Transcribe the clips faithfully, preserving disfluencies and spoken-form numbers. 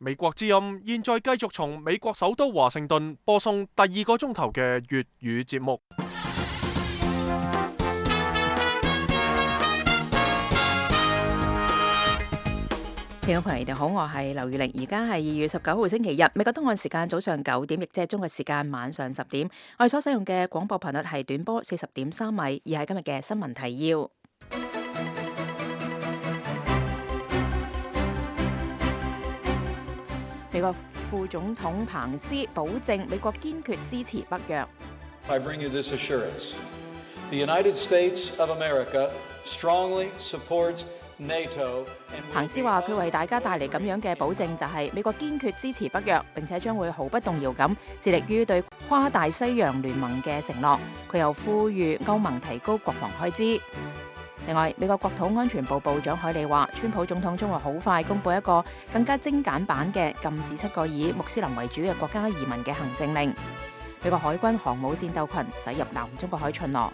美國之音現在繼續從美國首都華盛頓播送第二個鐘頭嘅粵語節目。聽眾朋友，你哋好，我係劉玉玲，而家係二月十九號星期日，美國東岸時間早上九點，亦即係中國時間晚上十點。我哋所使用嘅廣播頻率係短波四十點三米，而係今日嘅新聞提要。美國副總統彭斯保證美國堅決支持北約。I bring you this assurance. The United States of America strongly supports NATO. 彭斯話：佢為大家帶嚟咁樣嘅保證，就係美國堅決支持北約，並且將會毫不動搖咁致力於對跨大西洋聯盟嘅承諾。佢又呼籲歐盟提高國防開支。另外，美國國土安全部部長凱利話，川普總統將會好快公布一個更加精簡版嘅禁止七個以穆斯林為主嘅國家移民嘅行政令。美國海軍航母戰鬥群駛入南中國海巡邏。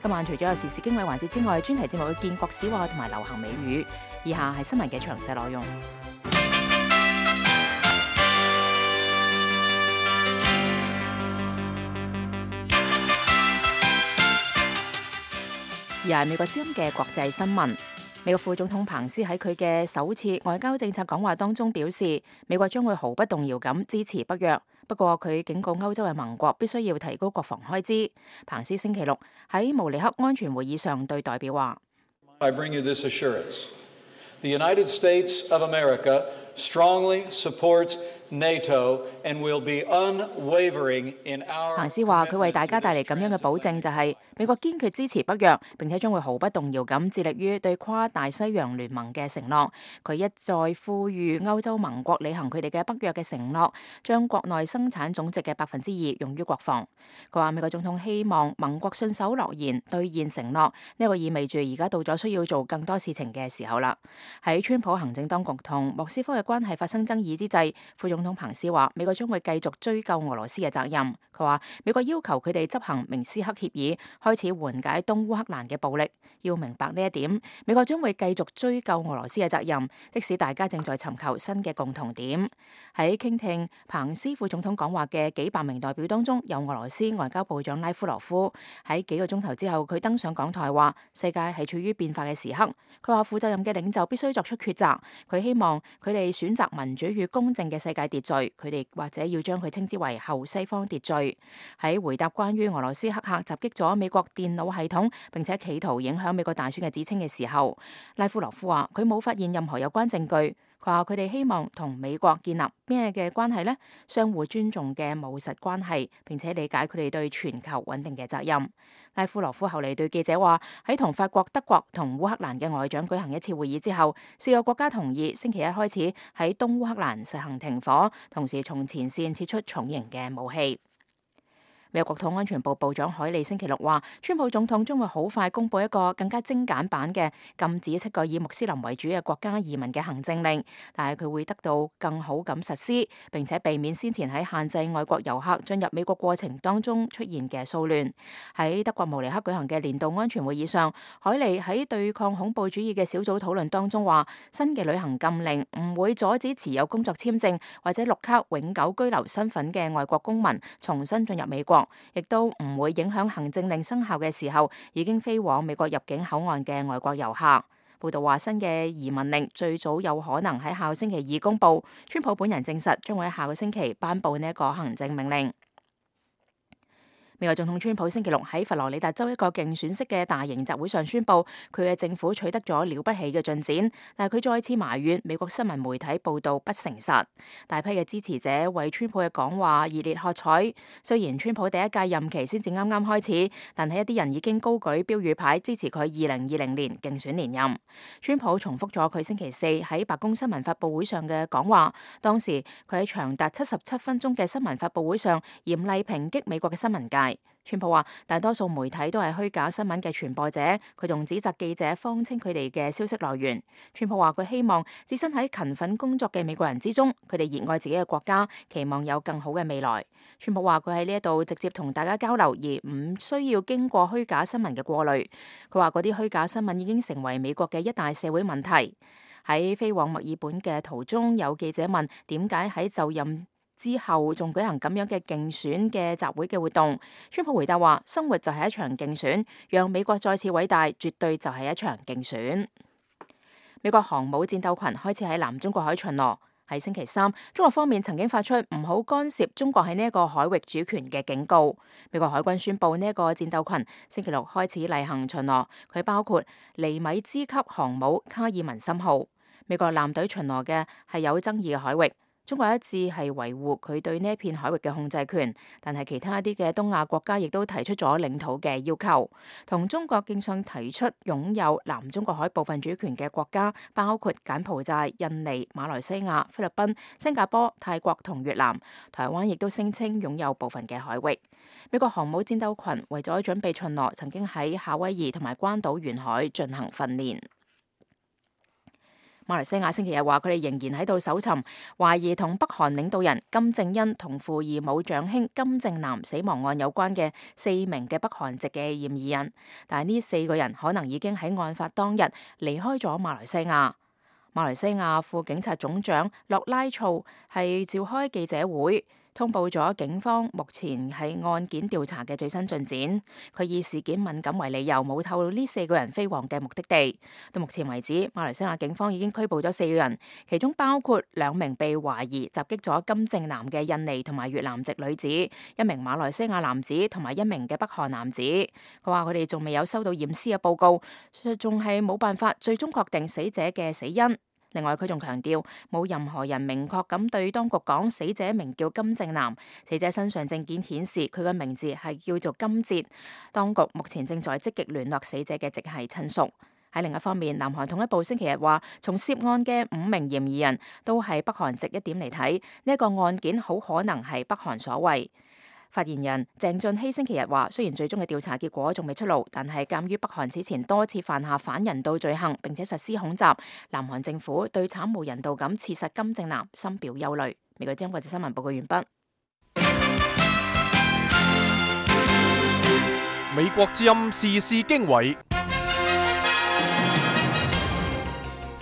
今晚除咗有時事經緯環節之外，專題節目會見國史話同埋流行美語。以下係新聞嘅詳細內容。而係美國之音嘅國際新聞。美國副總統彭斯喺佢嘅首次外交政策講話當中表示，美國將會毫不動搖咁支持北約。不過佢警告歐洲嘅盟國必須要提高國防開支。彭斯星期六喺慕尼黑安全會議上對代表話I bring you this assurance. The United States of America strongly supports NATO and will be unwavering in our 彭斯話：佢為大家帶嚟咁樣嘅保證，就係美國堅決支持北約，並且將會毫不動搖咁致力於對跨大西洋聯盟嘅承諾。佢一再呼籲歐洲盟國履行佢哋嘅北約嘅承諾，將國內生產總值嘅百分之二用於國防。佢話美國總統希望盟國信守諾言，兌現承諾。呢、這個意味住而家到咗需要做更多事情嘅時候啦。喺川普行政當局同莫斯科嘅關係發生爭議之際，副總統彭斯話美國將會繼續追究俄羅斯嘅責任。佢話美國要求佢哋執行明斯克協議，開始緩解東烏克蘭嘅暴力。要明白呢一點，美國將會繼續追究俄羅斯嘅責任，即使大家正在尋求新嘅共同點。喺傾聽彭斯副總統講話嘅幾百名代表當中，有俄羅斯外交部長拉夫羅夫。喺幾個鐘頭之後，佢登上講台話世界係處於變化嘅時刻。佢話負責任嘅領袖必須作出抉擇。佢希望佢哋選擇民主與公正嘅世界秩序，佢哋或者要將佢稱之為後西方秩序。喺回答關於俄羅斯黑客襲擊咗美國電腦系統，並且企圖影響美國大選嘅指稱嘅時候，拉夫羅夫話佢冇發現任何有關證據。佢話佢哋希望同美國建立咩嘅關係呢？相互尊重嘅務實關係，並且理解佢哋對全球穩定嘅責任。拉夫羅夫後嚟對記者話：喺同法國、德國同烏克蘭嘅外長舉行一次會議之後，四個國家同意星期一開始喺東烏克蘭實行停火，同時從前線撤出重型嘅武器。美國國土安全部部長凱利星期六話，川普總統將會好快公布一個更加精簡版嘅禁止七個以穆斯林為主嘅國家移民嘅行政令，但係佢會得到更好咁實施，並且避免先前喺限制外國遊客進入美國過程當中出現嘅騷亂。喺德國慕尼黑舉行嘅年度安全會議上，凱利喺對抗恐怖主義嘅小組討論當中話，新嘅旅行禁令唔會阻止持有工作簽證或者綠卡永久居留身份嘅外國公民重新進入美國，亦都唔會影響行政令生效嘅時候已經飛往美國入境口岸嘅外國遊客。報道話，新嘅移民令最早有可能喺下個星期二公布。川普本人證實將會喺下個星期頒布呢一個行政命令。美國總統川普星期六喺佛羅里達州一個競選式嘅大型集會上宣布，佢嘅政府取得咗了不起嘅進展，但係佢再次埋怨美國新聞媒體報道不誠實。大批嘅支持者為川普嘅講話熱烈喝彩。雖然川普第一屆任期先至啱啱開始，但係一啲人已經高舉標語牌支持佢二零二零年競選連任。川普重複咗佢星期四喺白宮新聞發佈會上嘅講話，當時佢喺長達七十七分鐘嘅新聞發佈會上嚴厲抨擊美國嘅新聞界。川普話大多數媒體都係虛假新聞嘅傳播者，佢仲指責記者謊稱佢哋嘅消息來源。川普話佢希望置身喺勤奮工作嘅美國人之中，佢哋熱愛自己嘅國家，期望有更好嘅未來。川普話佢喺呢一度直接同大家交流，而唔需要經過虛假新聞嘅過濾。佢話嗰啲虛假新聞已經成為美國嘅一大社會問題。喺飛往墨爾本嘅途中，有記者問點解喺就任之後仲舉行咁樣嘅競選嘅集會嘅活動。川普回答話：生活就係一場競選，讓美國再次偉大，絕對就係一場競選。美國航母戰鬥群開始喺南中國海巡邏。喺星期三，中國方面曾經發出唔好干涉中國喺呢一個海域主權嘅警告。美國海軍宣布呢一個戰鬥群星期六開始例行巡邏，佢包括尼米茲級航母卡爾文森號。美國艦隊巡邏嘅係有爭議嘅海域。中國一致係維護佢對呢一片海域嘅控制權，但係其他一啲嘅東亞國家亦都提出咗領土嘅要求。同中國競相提出擁有南中國海部分主權嘅國家包括柬埔寨、印尼、馬來西亞、菲律賓、新加坡、泰國同越南。台灣亦都聲稱擁有部分嘅海域。美國航母戰鬥群為咗準備巡邏，曾經喺夏威夷同埋關島沿海進行訓練。馬來西亞星期日話，佢哋仍然喺度搜尋懷疑同北韓領導人金正恩同父異母長兄金正男死亡案有關嘅四名嘅北韓籍嘅嫌疑人，但係呢四個人可能已經喺案發當日離開咗馬來西亞。馬來西亞副警察總長洛拉措係召開記者會，通報咗警方目前係案件調查嘅最新進展。佢以事件敏感為理由，冇透露呢四個人飛往嘅目的地。到目前為止，馬來西亞警方已經拘捕咗四個人，其中包括兩名被懷疑襲擊咗金正男嘅印尼同埋越南籍女子，一名馬來西亞男子同埋一名嘅北韓男子。佢話佢哋仲未有收到驗屍嘅報告，仲係冇辦法最終確定死者嘅死因。另外，佢仲強調冇任何人明確咁對當局講死者名叫金正男，死者身上證件顯示佢嘅名字係叫做金哲。當局目前正在積極聯絡死者嘅直系親屬。喺另一方面，南韓統一部星期日話，從涉案嘅五名嫌疑人都係北韓籍一點嚟睇，呢一個案件好可能係北韓所為。發言人鄭俊熙星期日話，雖然最終嘅調查結果仲未出爐，但係鑑於北韓此前多次犯下反人道罪行並且實施恐襲，南韓政府對慘無人道咁刺殺金正男深表憂慮。美國之音國際新聞報告完畢。美國之音時事經緯，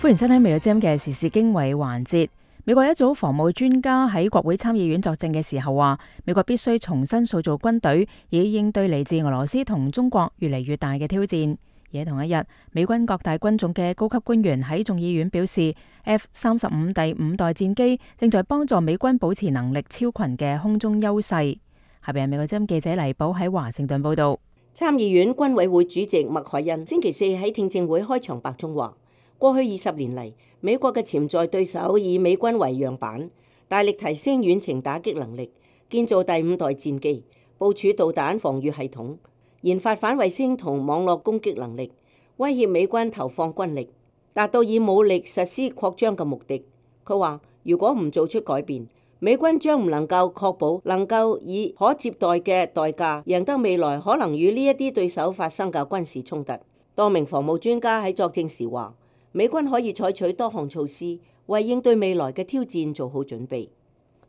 歡迎收聽美國之音嘅時事經緯環節。美國一組防務專家喺國會參議院作證嘅時候話，美國必須重新塑造軍隊，以應對嚟自俄羅斯同中國越嚟越大嘅挑戰。而喺同一日，美軍各大軍種嘅高級官員喺眾議院表示 ，F 三十五第五代戰機正在幫助美軍保持能力超群嘅空中優勢。下邊係美國之音記者黎寶喺華盛頓報道。參議院軍委會主席麥凱恩星期四喺聽證會開場白中話，過去二十年嚟，美國嘅潛在對手以美軍為樣板，大力提升遠程打擊能力，建造第五代戰機，部署導彈防禦系統，研發反衛星同網絡攻擊能力，威脅美軍投放軍力，達到以武力實施擴張嘅目的。佢話，如果唔做出改變，美軍將唔能夠確保能夠以可接待嘅代價贏得未來可能與呢一啲對手發生嘅軍事衝突。多名防務專家喺作證時話，美軍可以採取多項措施，為應對未來嘅挑戰做好準備。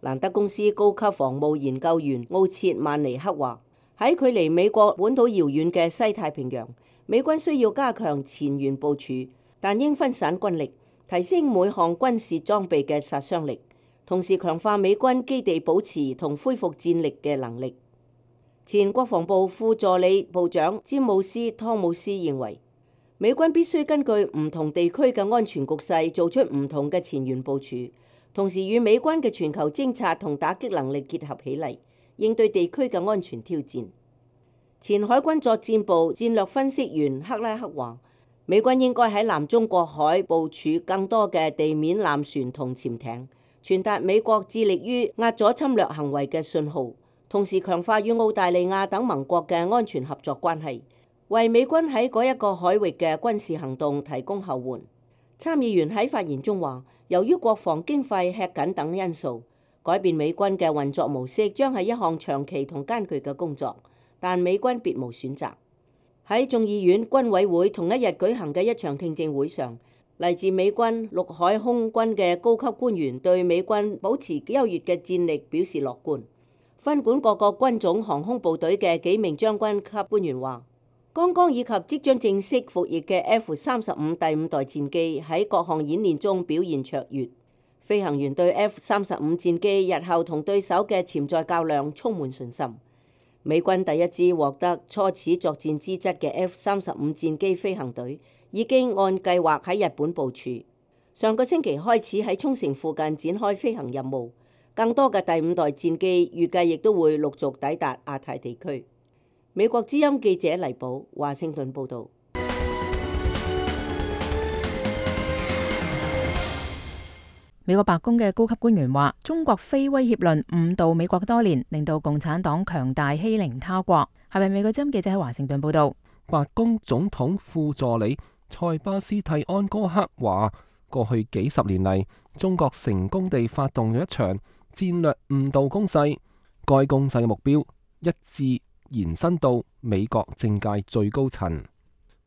蘭德公司高級防務研究員奧切曼尼克話，喺距離美國本土遙遠嘅西太平洋，美軍需要加強前沿部署，但應分散軍力，提升每項軍事裝備嘅殺傷力，同時強化美軍基地保持同恢復戰力嘅能力。前國防部副助理部長詹姆斯·湯姆斯認為，美軍必須根據唔同地區嘅安全局勢做出唔同嘅前沿部署，同時與美軍嘅全球偵察同打擊能力結合起嚟，應對地區嘅安全挑戰。前海軍作戰部戰略分析員克拉克話，美軍應該喺南中國海部署更多嘅地面艦船同潛艇，傳達美國致力於壓阻侵略行為嘅信號，同時強化與澳大利亞等盟國嘅安全合作關係，為美軍喺嗰一個海域嘅軍事行動提供後援。參議員喺發言中話，由於國防經費吃緊等因素，改變美軍嘅運作模式將係一項長期同艱巨嘅工作，但美軍別無選擇。喺眾議院軍委會同一日舉行嘅一場聽證會上，嚟自美軍陸海空軍嘅高級官員對美軍保持優越嘅戰力表示樂觀。分管各個軍種航空部隊嘅幾名將軍級官員話，剛剛以及即將正式服役嘅 F 三十五第五代戰機喺各項演練中表現卓越，飛行員對 F 三十五戰機日後同對手嘅潛在較量充滿信心。美軍第一支獲得初始作戰資質嘅 F 三十五戰機飛行隊已經按計劃喺日本部署，上個星期開始喺沖繩附近展開飛行任務。更多嘅第五代戰機預計亦都會陸續抵達亞太地區。美國之音記者黎寶華盛頓報導。美國白宮嘅高級官員話，中國非威脅論誤導美國多年，令到共產黨強大欺凌他國。係咪美國之音記者喺華盛頓報導？白宮總統副助理塞巴斯蒂安哥克話，過去幾十年嚟，中國成功地發動咗一場戰略誤導攻勢，該攻勢嘅目標一致延伸到美國政界最高層。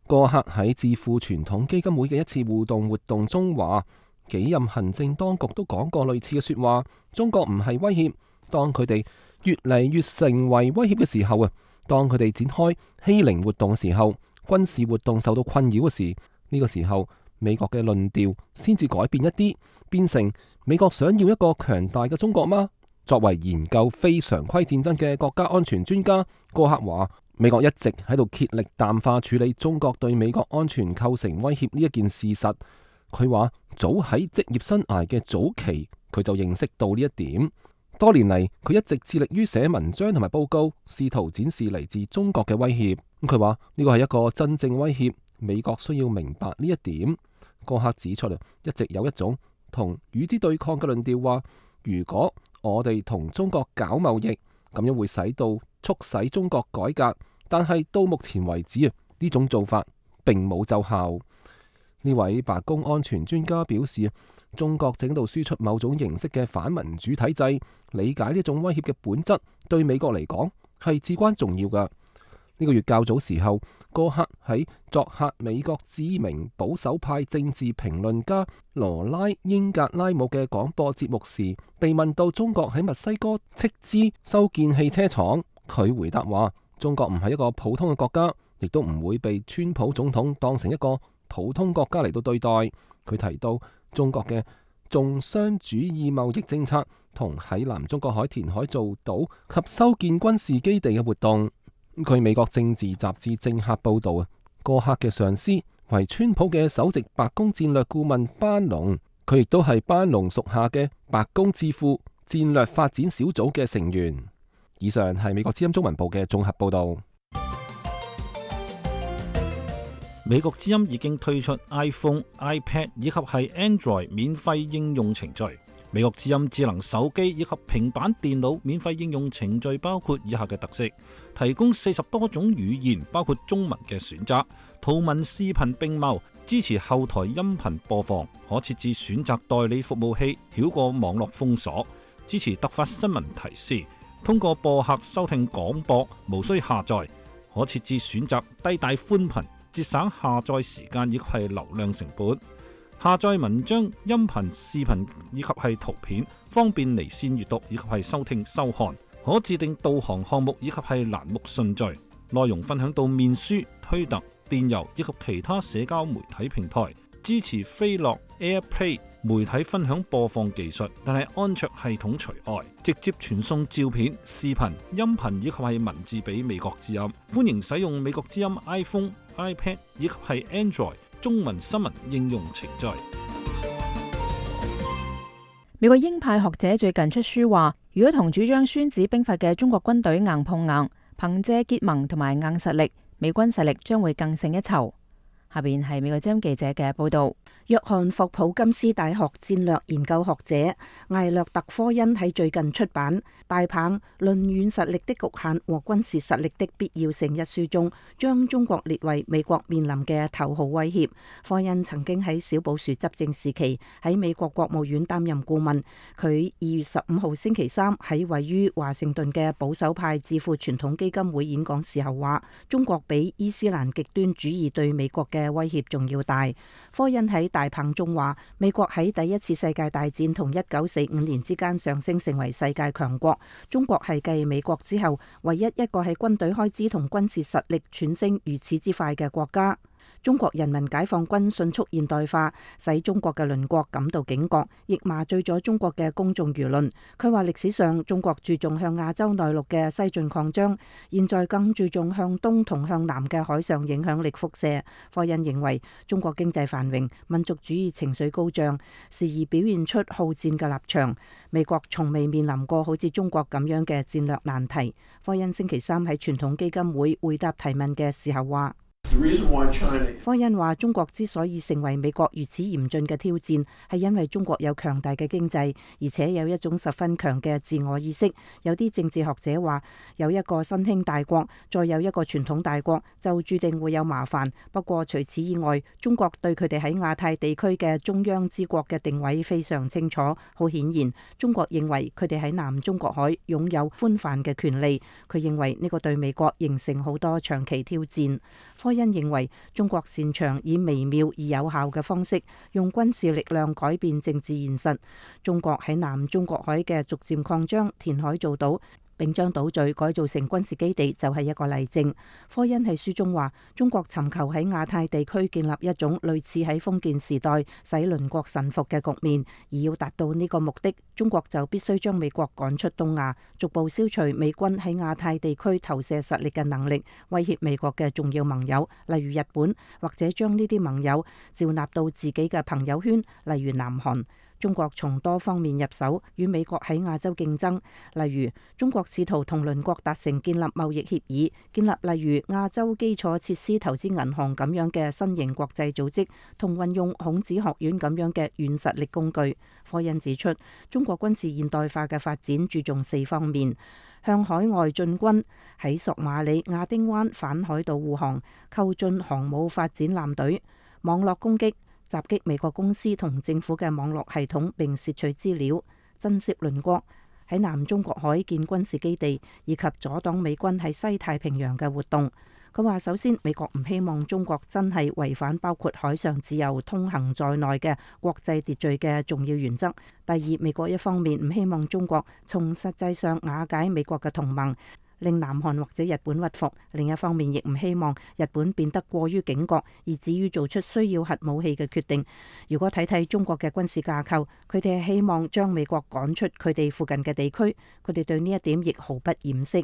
戈克喺智庫傳統基金會嘅一次互動活動中話，幾任行政當局都講過類似嘅說話，中國唔係威脅，當佢哋越嚟越成為威脅嘅時候啊，當佢哋展開欺凌活動嘅時候，軍事活動受到困擾嘅時，呢個時候美國嘅論調先至改變一啲，變成美國想要一個強大嘅中國嗎？作為研究非常規戰爭嘅國家安全專家，戈克話，美國一直喺度竭力淡化處理中國對美國安全構成威脅呢一件事實。佢話早喺職業生涯嘅早期，佢就認識到呢一點。多年嚟，佢一直致力於寫文章同埋報告，試圖展示嚟自中國嘅威脅。咁佢話呢個係一個真正威脅，美國需要明白呢一點。戈克指出，一直有一種同與之對抗嘅論調，話如果我哋同中國搞貿易，咁樣會使到促使中國改革。但係到目前為止啊，呢種做法並冇奏效。呢位白宮安全專家表示，中國正喺度輸出某種形式嘅反民主體制，理解呢種威脅嘅本質，對美國嚟講係至關重要㗎。呢個月較早時候，戈克喺作客美國知名保守派政治評論家羅拉英格拉姆嘅廣播節目時，被問到中國喺墨西哥斥資修建汽車廠，佢回答話：中國唔係一個普通嘅國家，亦都唔會被川普總統當成一個普通國家嚟到對待。佢提到中國嘅重商主義貿易政策同喺南中國海填海造島及修建軍事基地嘅活動。據美國政治雜誌政客報道啊，戈克嘅上司為川普嘅首席白宮戰略顧問班農，佢亦都係班農屬下嘅白宮智庫戰略發展小組嘅成員。以上係美國之音中文部嘅綜合報道。美國之音已經推出 iPhone、iPad 以及係 Android 免費應用程序。美國之音智能手機以及平板電腦免費應用程序包括以下嘅特色：提供四十多種語言，包括中文嘅選擇，圖文視頻並茂，支持後台音頻播放，可設置選擇代理服務器，繞過網絡封鎖，支持突發新聞提示，通過播客收聽廣播，無需下載，可設置選擇低帶寬頻，節省下載時間以及係流量成本。下載文章、音頻、視頻以及係圖片，方便離線閱讀以及係收聽收看。可自定導航項目以及係欄目順序。內容分享到面書、推特、電郵以及其他社交媒體平台。支持飛樂 AirPlay 媒體分享播放技術，但係安卓系統除外。直接傳送照片、視頻、音頻以及係文字俾美國之音。歡迎使用美國之音 iPhone、iPad 以及係 Android中文新聞應用程序。美國鷹派學者最近出書話，如果同主張孫子兵法嘅中國軍隊硬碰硬，憑借結盟同埋硬實力，美軍實力將會更勝一籌。下邊係美國之音記者嘅報道。約翰霍普金斯大學戰略研究學者艾略特科恩喺最近出版《大棒論軟實力的局限和軍事實力的必要性》一書中，將中國列為美國面臨嘅頭號威脅。科恩曾經喺小布殊執政時期喺美國國務院擔任顧問。佢二月十五號星期三喺位於華盛頓嘅保守派智庫傳統基金會演講時候話，中國比伊斯蘭極端主義對美國嘅威脅仲要大。科恩喺大棒中話，美國喺第一次世界大戰同一九四五年之間上升成為世界強國，中國係繼美國之後唯一一個喺軍隊開支同軍事實力竄升如此之快嘅國家。中國人民解放軍迅速現代化，使中國嘅鄰國感到警覺，亦麻醉咗中國嘅公眾輿論。佢話歷史上中國注重向亞洲內陸嘅西進擴張，現在更注重向東同向南嘅海上影響力輻射。科恩認為中國經濟繁榮，民族主義情緒高漲，時而表現出好戰嘅立場。美國從未面臨過好似中國咁樣嘅戰略難題。科恩星期三喺傳統基金會回答提問嘅時候話，科恩話中國之所以成為美國如此嚴峻嘅挑戰，係因為中國有強大嘅經濟，而且有一種十分強嘅自我意識。有啲政治學者話，有一個新興大國，再有一個傳統大國，就注定會有麻煩。不過除此以外，中國對佢哋喺亞太地區嘅中央之國嘅定位非常清楚。好顯然，中國認為佢哋喺南中國海擁有寬泛嘅權利。佢認為呢個對美國形成好多長期挑戰。科恩認為中國擅長以微妙而有效嘅方式，用軍事力量改變政治現實。中國喺南中國海嘅逐漸擴張、填海造島，並將島嶼改造成軍事基地，就係一個例證。科恩喺書中話，中國尋求喺亞太地區建立一種類似喺封建時代使鄰國臣服嘅局面，而要達到呢個目的，中國就必須將美國趕出東亞，逐步消除美軍喺亞太地區投射實力嘅能力，威脅美國嘅重要盟友，例如日本，或者將呢啲盟友召納到自己嘅朋友圈，例如南韓。中國從多方面入手，與美國喺亞洲競爭。例如，中國試圖同鄰國達成建立貿易協議，建立例如亞洲基礎設施投資銀行咁樣嘅新型國際組織，同運用孔子學院咁樣嘅軟實力工具。科恩指出，中國軍事現代化嘅發展注重四方面：向海外進軍，喺索馬里、亞丁灣反海盜護航，購進航母發展艦隊；網絡攻擊，襲擊美國公司同政府嘅網絡系統並竊取資料；震懾鄰國，喺南中國海建軍事基地，以及阻擋美軍喺西太平洋嘅活動。佢話：首先，美國唔希望中國真係違反包括海上自由通行在內嘅國際秩序嘅重要原則；第二，美國一方面唔希望中國從實際上瓦解美國嘅同盟，令南韓或者日本屈服；另一方面，亦唔希望日本變得過於警覺，以至於做出需要核武器嘅決定。如果睇睇中國嘅軍事架構，佢哋係希望將美國趕出佢哋附近嘅地區，佢哋對呢一點亦毫不掩飾。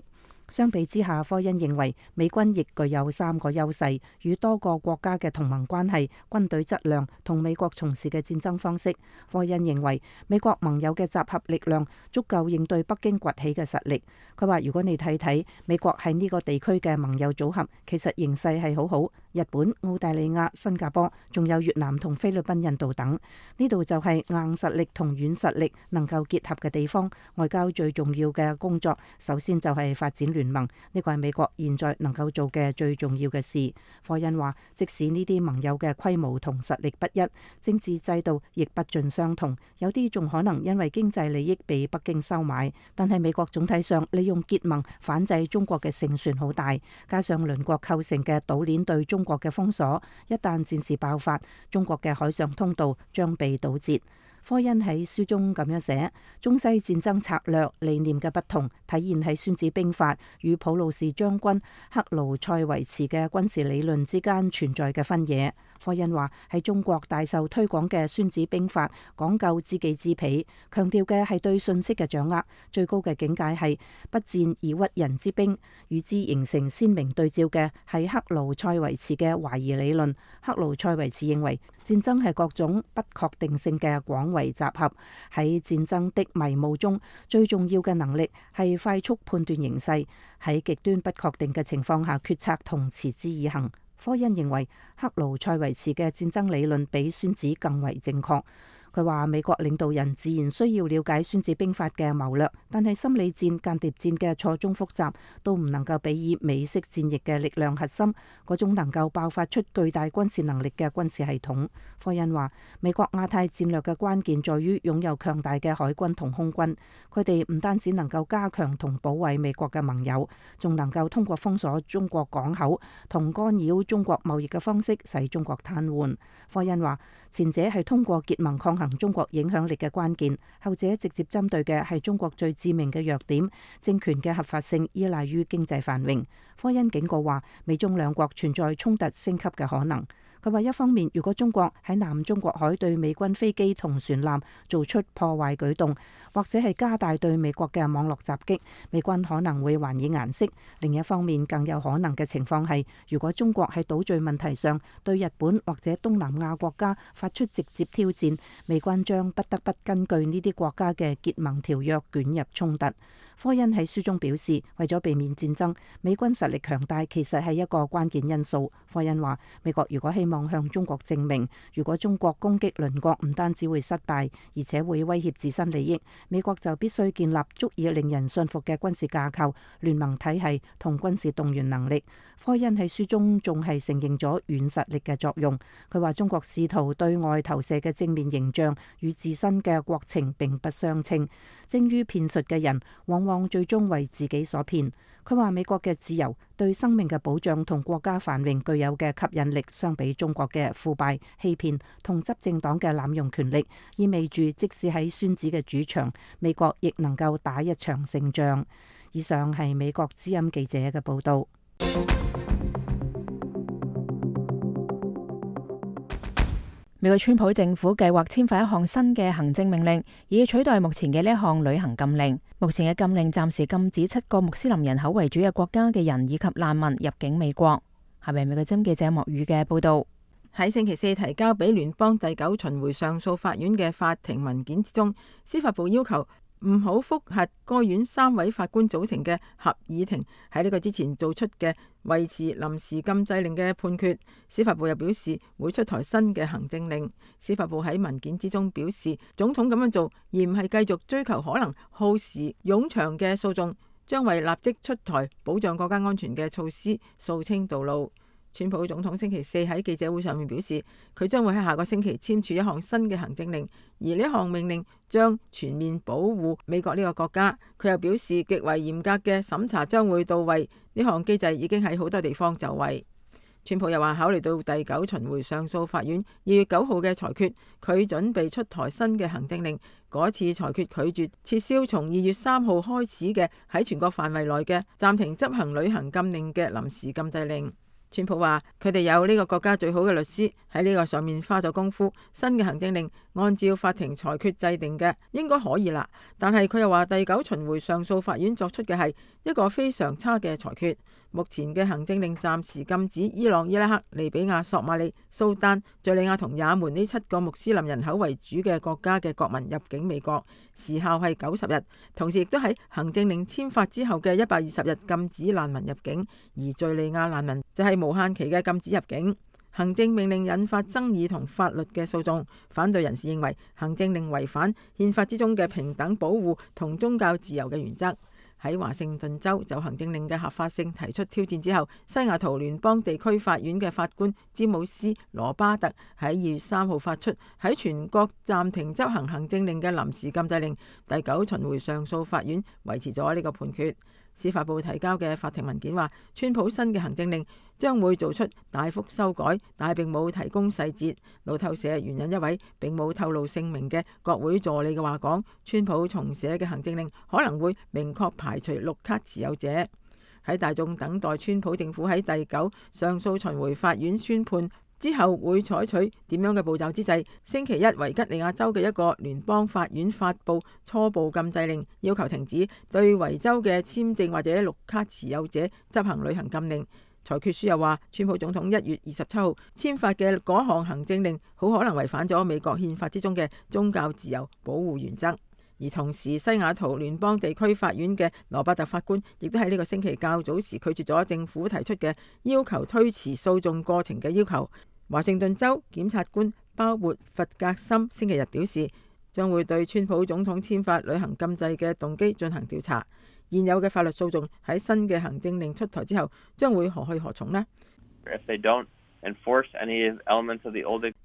相比之下，科恩認為美軍亦具有三個優勢：與多個國家嘅同盟關係、軍隊質量同美國從事嘅戰爭方式。科恩認為美國盟友嘅集合力量足夠應對北京崛起嘅實力。佢話：如果你睇睇美國喺呢個地區嘅盟友組合，其實形勢係好好。日本、澳大利亞、新加坡，仲有越南同菲律賓、印度等，呢度就係硬實力同軟實力能夠結合嘅地方。外交最重要嘅工作，首先就係發展聯盟，呢個係美國現在能夠做嘅最重要嘅事。科恩話，即使呢啲盟友嘅規模同實力不一，政治制度亦不盡相同，有啲仲可能因為經濟利益被北京收買，但係美國總體上利用結盟反制中國嘅勝算好大，加上鄰國構成嘅島鏈對中國嘅封鎖，一旦戰事爆發，中國嘅海上通道將被堵截。科恩喺書中咁樣寫：中西戰爭策略理念嘅不同，體現喺孫子兵法與普魯士將軍克勞塞維茨嘅軍事理論之間存在嘅分野。科恩話，喺中國大受推廣嘅孫子兵法講究知己知彼，強調嘅係對信息嘅掌握，最高嘅境界係不戰而屈人之兵。與之形成鮮明對照嘅係克勞塞維茨嘅懷疑理論。克勞塞維茨認為戰爭係各種不確定性嘅廣為集合，喺戰爭的迷霧中，最重要嘅能力係快速判斷形勢，喺極端不確定嘅情況下決策同持之以恆。科恩認為克勞塞維茨嘅戰爭理論比孫子更為正確。佢話美國領導人自然需要了解孫子兵法嘅謀略，但係心理戰、間諜戰嘅錯綜複雜都唔能夠比擬美式戰役嘅力量核心嗰種能夠爆發出巨大軍事能力嘅軍事系統。科恩話美國亞太戰略嘅關鍵在於擁有強大嘅海軍同空軍，佢哋唔單止能夠加強同保衛美國嘅盟友，仲能夠通過封鎖中國港口同干擾中國貿易嘅方式使中國癱瘓。科恩話前者係通過結盟抗衡中國影響力嘅關鍵，後者直接針對嘅係中國最致命嘅弱點，政權嘅合法性依賴於經濟繁榮。科恩警告話美中兩國存在衝突升級嘅可能。佢話一方面，如果中國喺南中國海對美軍飛機同船艦做出破壞舉動，或者係加大對美國嘅網絡襲擊，美軍可能會還以顏色。另一方面，更有可能嘅情況係，如果中國喺島嶼問題上對日本或者東南亞國家發出直接挑戰，美軍將不得不根據呢啲國家嘅結盟條約捲入衝突。科恩喺書中表示，為咗避免戰爭，美軍實力強大其實係一個關鍵因素。科恩話美國如果希望向中國證明，如果中國攻擊鄰國唔單止會失敗，而且會威脅自身利益，美國就必須建立足以令人信服嘅軍事架構、聯盟體系同軍事動員能力。科恩喺書中仲係承認咗軟實力嘅作用。佢話中國試圖對外投射嘅正面形象與自身嘅國情並不相稱，精於騙術嘅人往往最終為自己所騙。佢話美國嘅自由、對生命嘅保障同國家繁榮具有嘅吸引力，相比中國嘅腐敗、欺騙同執政黨嘅濫用權力，意味住即使喺孫子嘅主場，美國亦能夠打一場勝仗。以上係美國之音記者嘅報道。美國川普政府計劃簽發一項新嘅行政命令，以取代目前嘅呢一項旅行禁令。目前嘅禁令暫時禁止七個穆斯林人口為主嘅國家嘅人以及難民入境美國。下面美國之音記者莫宇嘅報道。喺星期四提交俾聯邦第九巡迴上訴法院嘅法庭文件之中，司法部要求唔好覆核該院三位法官組成嘅合議庭喺呢個之前做出嘅維持臨時禁制令嘅判決。司法部又表示會出台新嘅行政令。司法部喺文件之中表示，總統咁樣做而唔係繼續追求可能耗時冗長嘅訴訟，將為立即出台保障國家安全嘅措施掃清道路。川普總統星期四喺記者會上面表示，佢將會喺下個星期簽署一項新嘅行政令，而呢項命令將全面保護美國呢個國家。佢又表示，極為嚴格嘅審查將會到位，呢項機制已經喺好多地方就位。川普又話，考慮到第九巡迴上訴法院二月九號嘅裁決，佢準備出台新嘅行政令。嗰次裁決拒絕撤銷從二月三號開始嘅喺全國範圍內嘅暫停執行旅行禁令嘅臨時禁制令。川普話佢哋有呢個國家最好嘅律師喺呢個上面花咗功夫，新嘅行政令按照法庭裁決制定嘅應該可以啦。但係佢又話第九巡迴上訴法院作出嘅係一個非常差嘅裁決。目前嘅行政令暫時禁止伊朗、伊拉克、利比亞、索馬里、蘇丹、敘利亞同也門呢七個穆斯林人口為主嘅國家嘅國民入境美國，時效係九十日。同時亦都喺行政令簽發之後嘅一百二十日禁止難民入境，而敘利亞難民就係無限期嘅禁止入境。行政命令引發爭議同法律嘅訴訟，反對人士認為行政令違反憲法之中嘅平等保護同宗教自由嘅原則。喺華盛頓州就行政令嘅合法性提出挑戰之後，西雅圖聯邦地區法院嘅法官詹姆斯羅巴特喺二月三號發出喺全國暫停執行行政令嘅臨時禁制令。第九巡迴上訴法院維持咗呢個判決。司法部提交嘅法庭文件話，川普新嘅行政令將會做出大幅修改，但係並冇提供細節。路透社援引一位並冇透露姓名嘅國會助理嘅話講，川普重寫嘅行政令可能會明確排除綠卡持有者。喺大眾等待川普政府喺第九上訴巡迴法院宣判之後會採取點樣嘅步驟之際，星期一維吉尼亞州嘅一個聯邦法院發布初步禁制令，要求停止對維州嘅簽證或者綠卡持有者執行旅行禁令。裁決書又話，川普總統一月二十七號簽發嘅嗰項行政令好可能違反咗美國憲法之中嘅宗教自由保護原則。而同時，西雅圖聯邦地區法院嘅羅伯特法官亦都喺呢個星期較早時拒絕咗政府提出嘅要求推遲訴訟過程嘅要求。華盛頓州檢察官鮑勃弗格森星期日表示，將會對川普總統簽發旅行禁制嘅動機進行調查。現有嘅法律訴訟喺新嘅行政令出台之後，將會何去何從呢？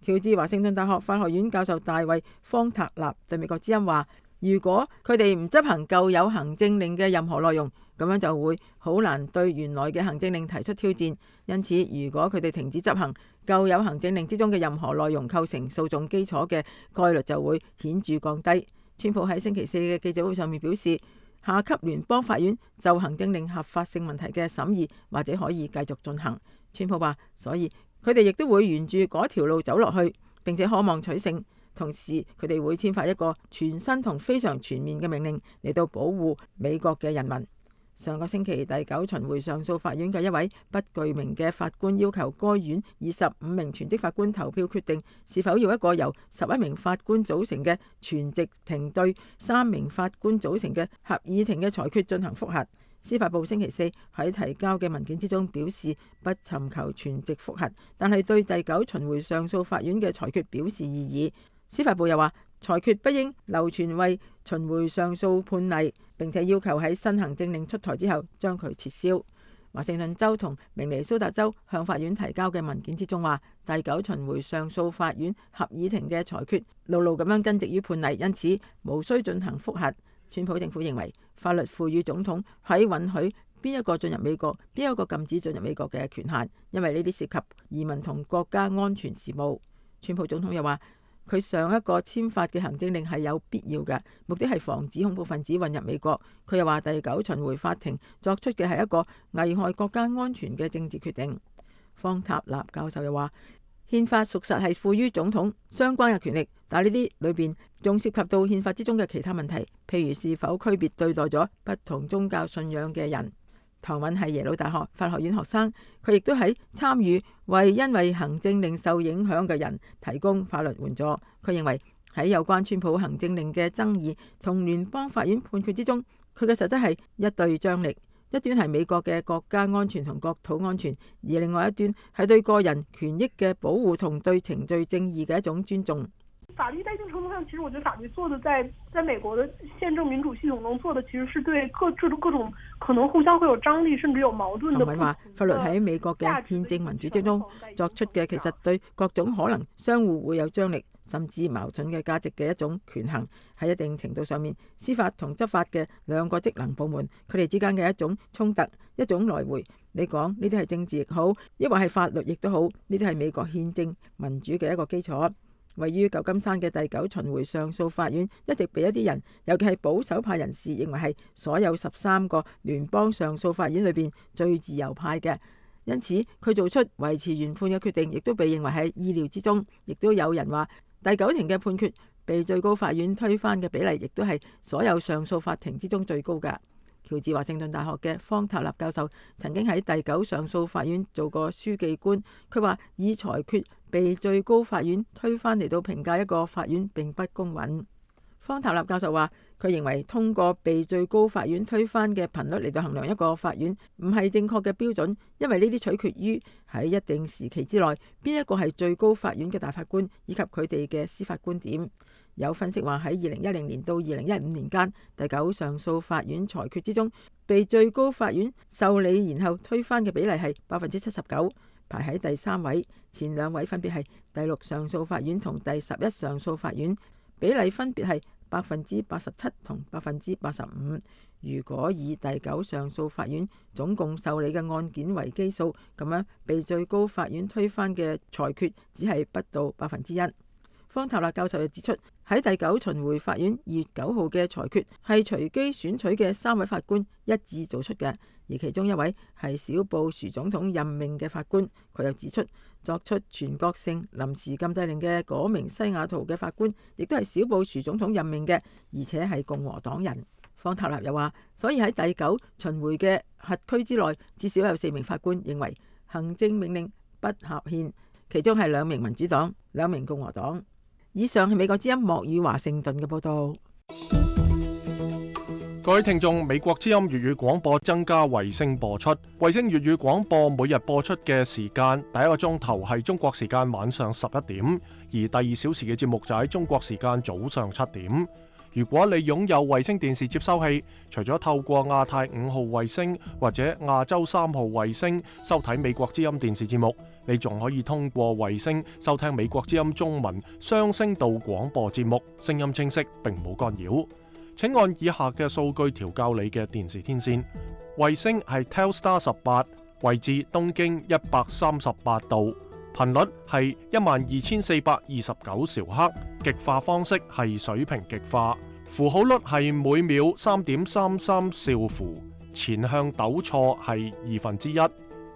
喬治華盛頓大學法學院教授大衛方塔納對美國之音話，如果佢哋唔執行舊有行政令嘅任何內容，咁樣就會好難對原來嘅行政令提出挑戰。因此，如果佢哋停止執行舊有行政令之中嘅任何內容構成訴訟基礎嘅概率就會顯著降低。川普喺星期四嘅記者會上面表示，下級聯邦法院就行政令合法性問題嘅審議或者可以繼續進行。川普話，所以佢哋亦都會沿住嗰條路走落去，並且渴望取勝。同時，佢哋會簽發一個全新同非常全面嘅命令嚟到保護美國嘅人民。上個星期，第九巡迴上訴法院嘅一位不具名嘅法官要求該院二十五名全職法官投票決定是否要一個由十一名法官組成嘅全席庭對三名法官組成嘅合議庭嘅裁決進行覆核。司法部星期四喺提交嘅文件之中表示不尋求全席覆核，但係對第九巡迴上訴法院嘅裁決表示異議。司法部又話，裁決不應流傳為巡迴上訴判例，並且要求喺新行政令出台之後將佢撤銷。華盛頓州同明尼蘇達州向法院提交嘅文件之中話，第九巡迴上訴法院合議庭嘅裁決牢牢咁樣根植於判例，因此無需進行覆核。川普政府認為法律賦予總統喺允許邊一個進入美國，邊一個禁止進入美國嘅權限，因為呢啲涉及移民同國家安全事務。川普總統又話，佢上一個簽發嘅行政令係有必要嘅，目的係防止恐怖分子混入美國。佢又話，第九巡迴法庭作出嘅係一個危害國家安全嘅政治決定。方塔納教授又話，憲法屬實係賦予總統相關嘅權力，但係呢啲裏邊仲涉及到憲法之中嘅其他問題，譬如是否區別對待咗不同宗教信仰嘅人。唐韻係耶魯大學法學院學生，佢亦都喺參與為因為行政令受影響嘅人提供法律援助。佢認為喺有關川普行政令嘅爭議同聯邦法院判決之中，佢嘅實質係一對張力，一端係美國嘅國家安全同國土安全，而另外一端係對個人權益嘅保護同對程序正義嘅一種尊重。法律在一定程度上，其實我覺得法律做的在在美國的憲政民主系統中做的，其實是對各各種各種可能互相會有張力，甚至有矛盾的。唐韻話，法律喺美國嘅憲政民主之中作出嘅，其實對各種可能相互會有張力甚至矛盾嘅價值嘅一種權衡。喺一定程度上面，司法同執法嘅兩個職能部門，佢哋之間嘅一種衝突，一種來回。你講呢啲係政治亦好，抑或係法律亦都好，呢啲係美國憲政民主嘅一個基礎。位於舊金山嘅第九巡迴上訴法院一直被一啲人，尤其係保守派人士，認為係所有十三個聯邦上訴法院裏邊最自由派嘅，因此佢做出維持原判嘅決定，亦都被認為喺意料之中。亦都有人話，第九庭嘅判決被最高法院推翻嘅比例，亦都係所有上訴法庭之中最高㗎。喬治華盛頓大學嘅方塔納教授曾經喺第九上訴法院做過書記官，佢話以裁決被最高法院推翻嚟到評價一個法院並不公允。方塔納教授話，佢認為通過被最高法院推翻嘅頻率嚟到衡量一個法院唔係正確嘅標準，因為呢啲取決於喺一定時期之內邊一個係最高法院嘅大法官以及佢哋嘅司法觀點。有分析話，喺二零一零年到二零一五年間，第九上訴法院裁決之中，被最高法院受理然後推翻嘅比例係百分之七十九，排喺第三位。前兩位分別係第六上訴法院同第十一上訴法院，比例分別係百分之八十七同百分之八十五。如果以第九上訴法院總共受理嘅案件為基數，咁樣被最高法院推翻嘅裁決只係不到百分之一。方塔納教授又指出，喺第九巡迴法院二月九號嘅裁決係隨機選取嘅三位法官一致做出嘅，而其中一位係小布殊總統任命嘅法官。佢又指出，作出全國性臨時禁制令嘅嗰名西雅圖嘅法官，亦都係小布殊總統任命嘅，而且係共和黨人。方塔納又話，所以喺第九巡迴嘅轄區之內，至少有四名法官認為行政命令不合憲，其中係兩名民主黨，兩名共和黨。以上係美國之音莫語華盛頓嘅報道。各位聽眾，美國之音粵語廣播增加衛星播出。衛星粵語廣播每日播出嘅時間，第一個鐘頭係中國時間晚上十一點，而第二小時嘅節目就喺中國時間早上七點。如果你擁有衛星電視接收器，除咗透過亞太五號衛星或者亞洲三號衛星收睇美國之音電視節目，你仲可以通過衛星收聽美國之音中文雙聲道廣播節目，聲音清晰並冇干擾。請按以下嘅數據調校你嘅電視天線。衛星係 Telstar 十八，位置東經一百三十八度，頻率係一萬二千四百二十九兆赫，極化方式係水平極化，符號率係每秒三點三三兆符，前向抖錯係二分之一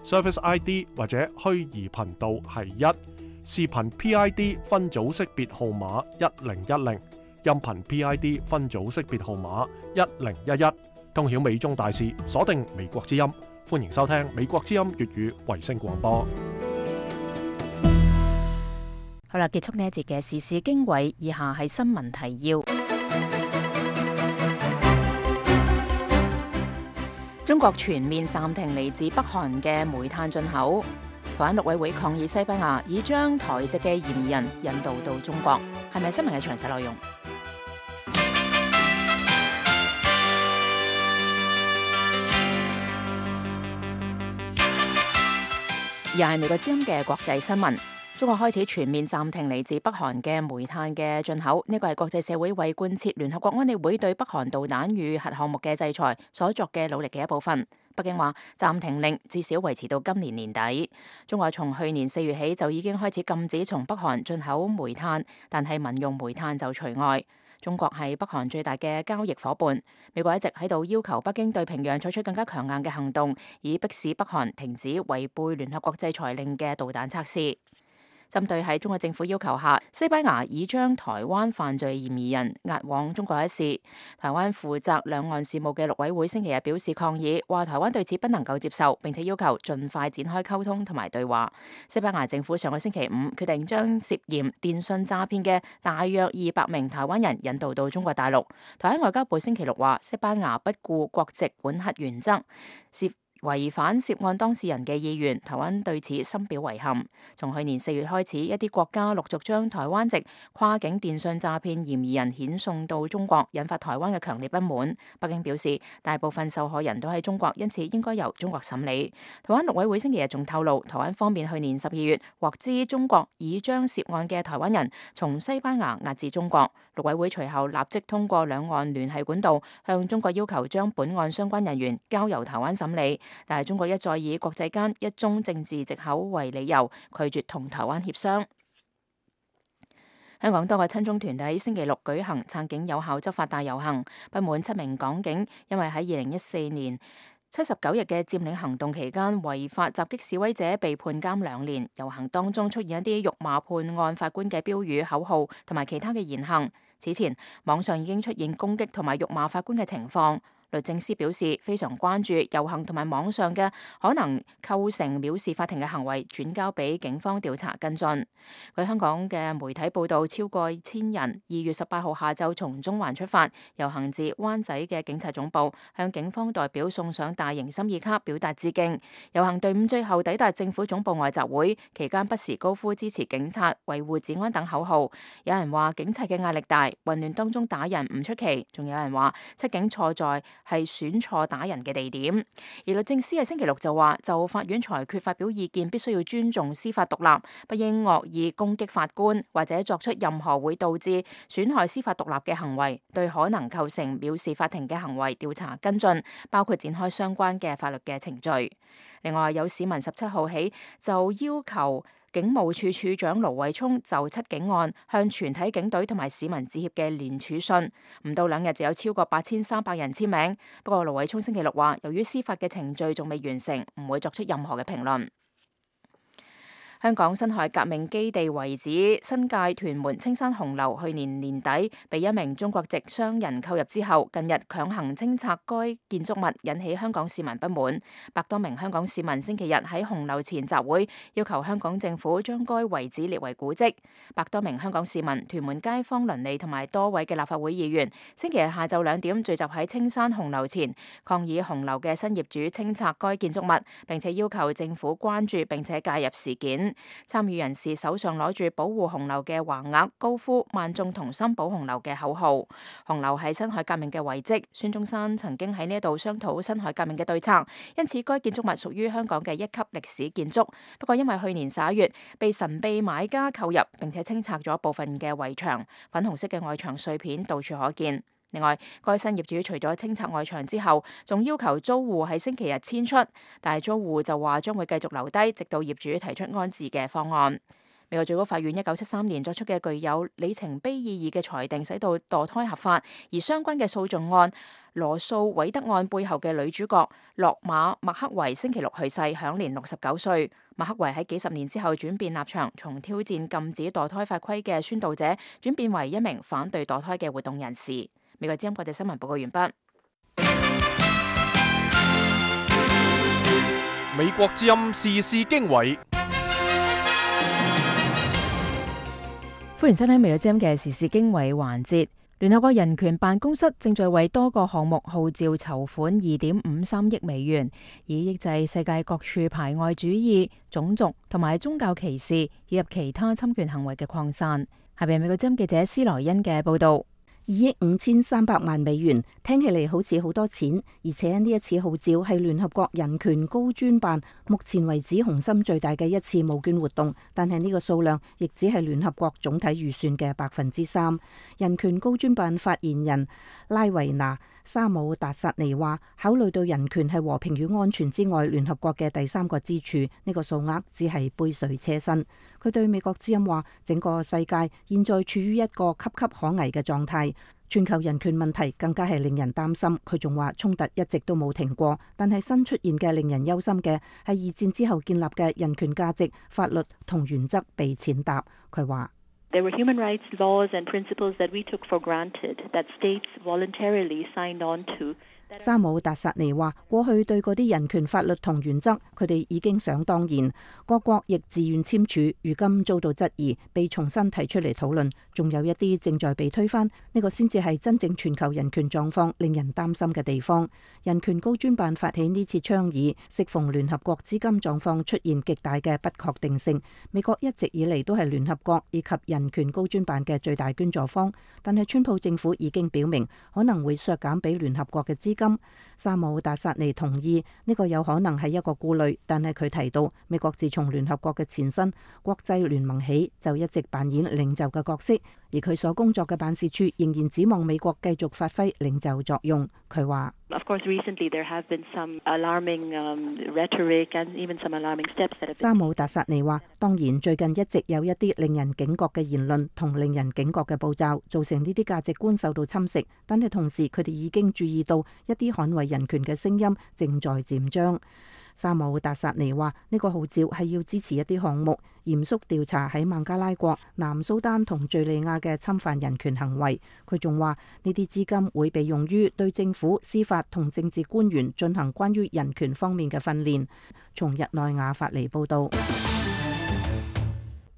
，Service I D 或者虛擬頻道係一，視頻 P I D 分組識別號碼一零一零。音頻 P I D 分組識別號碼一零一一，通曉美中大事，鎖定美國之音，歡迎收聽美國之音粵語衛星廣播。好啦，結束呢一節嘅時事經緯，以下係新聞提要。中國全面暫停嚟自北韓嘅煤炭進口。台灣陸委會抗議西班牙已將台籍嘅嫌疑人引渡到中國，係咪新聞嘅詳細內容？而係美國之音嘅國際新聞，中國開始全面暫停嚟自北韓嘅煤炭嘅進口，呢個係國際社會為貫徹聯合國安理會對北韓導彈與核項目嘅制裁所作嘅努力嘅一部分。北京話暫停令至少維持到今年年底。中國從去年四月起就已經開始禁止從北韓進口煤炭，但係民用煤炭就除外。中國係北韓最大嘅交易夥伴，美國一直喺度要求北京對平壤採取更加強硬嘅行動，以迫使北韓停止違背聯合國制裁令嘅導彈測試。針對喺中國政府要求下，西班牙已將台灣犯罪嫌疑人押往中國一事，台灣負責兩岸事務嘅陸委會星期日表示抗議，話台灣對此不能夠接受，並且要求盡快展開溝通同埋對話。西班牙政府上個星期五決定將涉嫌電信詐騙嘅大約二百名台灣人引渡到中國大陸。台灣外交部星期六話，西班牙不顧國籍管轄原則，涉違反涉案當事人嘅意願，台灣對此深表遺憾。從去年四月開始，一啲國家陸續將台灣籍跨境電信詐騙嫌疑人遣送到中國，引發台灣嘅強烈不滿。北京表示，大部分受害人都喺中國，因此應該由中國審理。台灣陸委會星期日仲透露，台灣方面去年十二月獲知中國已將涉案嘅台灣人從西班牙押至中國，陸委會隨後立即通過兩岸聯繫管道向中國要求將本案相關人員交由台灣審理。但係中國一再以國際間一宗政治藉口為理由，拒絕同台灣協商。香港多個親中團體星期六舉行撐警有效執法大遊行，不滿七名港警因為喺二零一四年七十九日嘅佔領行動期間違法襲擊示威者被判監兩年。遊行當中出現一啲辱罵判案法官嘅標語、口號同埋其他嘅言行。此前網上已經出現攻擊同埋辱罵法官嘅情況。律政司表示非常關注遊行同埋網上嘅可能構成藐視法庭嘅行為，轉交俾警方調查跟進。據香港嘅媒體報道，超過千人二月十八號下晝從中環出發，遊行至灣仔嘅警察總部，向警方代表送上大型心意卡，表達致敬。遊行隊伍最後抵達政府總部外集會，期間不時高呼支持警察、維護治安等口號。有人話警察嘅壓力大，混亂當中打人唔出奇，仲有人話七警錯在係選錯打人嘅地點。而律政司喺星期六就話，就法院裁決發表意見，必須要尊重司法獨立，不應惡意攻擊法官或者作出任何會導致損害司法獨立嘅行為，對可能構成藐視法庭嘅行為調查跟進，包括展開相關嘅法律嘅程序。另外，有市民十七號起就要求警務處處長盧偉聰就七警案向全體警隊同埋市民致歉嘅聯署信，唔到兩日就有超過八千三百人簽名。不過盧偉聰星期六話，由於司法嘅程序仲未完成，唔會作出任何嘅評論。香港辛亥革命基地遺址新界屯門青山紅樓去年年底被一名中國籍商人購入之後，近日強行清拆該建築物，引起香港市民不滿。百多名香港市民星期日喺紅樓前集會，要求香港政府將該遺址列為古蹟。百多名香港市民、屯門街坊鄰里同埋多位嘅立法會議員，星期日下晝兩點聚集喺青山紅樓前，抗議紅樓嘅新業主清拆該建築物，並且要求政府關注並且介入事件。參與人士手上攞住保護紅樓嘅橫額，高呼萬眾同心保紅樓嘅口號。紅樓係辛亥革命嘅遺蹟，孫中山曾經喺呢度商討辛亥革命嘅對策，因此該建築物屬於香港嘅一級歷史建築。不過因為去年十一月被神秘買家購入，並且清拆咗部分嘅圍牆，粉紅色嘅外牆碎片到處可見。另外，該新業主除咗清拆外牆之後，仲要求租戶喺星期日遷出，但係租戶就話將會繼續留低，直到業主提出安置嘅方案。美國最高法院一九七三年作出嘅具有里程碑意義嘅裁定，使到墮胎合法，而相關嘅訴訟案羅素韋德案背後嘅女主角洛馬麥克維星期六去世，享年六十九歲。麥克維喺幾十年之後轉變立場，從挑戰禁止墮胎法規嘅宣導者，轉變為一名反對墮胎嘅活動人士。美國之音國際新聞報告完畢。美國之音時事經緯，歡迎收聽美國之音嘅時事經緯環節。聯合國人權辦公室正在為多個項目號召籌款二點五三億美元，以抑制世界各處排外主義、種族同埋宗教歧視以及其他侵權行為嘅擴散。下邊美國之音記者施萊恩嘅報道。二億五千三百萬美元聽起嚟好似好多錢，而且呢一次號召係聯合國人權高專辦目前為止雄心最大嘅一次募捐活動，但係呢個數量亦只係聯合國總體預算嘅百分之三。人權高專辦發言人拉維娜沙姆達薩尼話，考慮到人權係和平與安全之外聯合國嘅第三個支柱，呢、這個數額只係杯水車薪。佢對美國之音話，整個世界現在處於一個岌岌可危嘅狀態，全球人權問題更加係令人擔心。佢仲話衝突一直都冇停過，但係新出現嘅令人憂心嘅係二戰之後建立嘅人權價值、法律同原則被踐踏。佢話There were human rights laws and principles that we took for granted, that states voluntarily signed on to. 沙姆達薩尼話，過去對嗰啲人權法律同原則，佢哋已經想當然，各國亦自願簽署，如今遭到質疑，被重新提出嚟討論，仲有一啲正在被推翻，呢個先至係真正全球人權狀況令人擔心嘅地方。人權高專辦發起呢次倡議，適逢聯合國資金狀況出現極大嘅不確定性，美國一直以嚟都係聯合國以及人權高專辦嘅最大捐助方，但係川普政府已經表明可能會削減俾聯合國嘅資金。沙姆達薩尼同意呢個有可能係一個顧慮，但係佢提到美國自從聯合國嘅前身國際聯盟起就一直扮演領袖嘅角色，而佢所工作嘅辦事處仍然指望美國繼續發揮領袖作用。佢話Of course, recently there have been some alarming rhetoric and even some alarming steps that have been. 沙姆達薩尼話，當然最近一直有一啲令人警覺嘅言論同令人警覺嘅步驟，造成呢啲價值觀受到侵蝕。但係同時，佢哋已經注意到一啲捍衛人權嘅聲音正在漸張。沙姆達薩尼話，呢個號召係要支持一啲項目，嚴肅調查喺孟加拉國、南蘇丹同敘利亞嘅侵犯人權行為。佢仲話呢啲資金會被用於對政府、司法同政治官員進行關於人權方面嘅訓練。從日內瓦發嚟報道，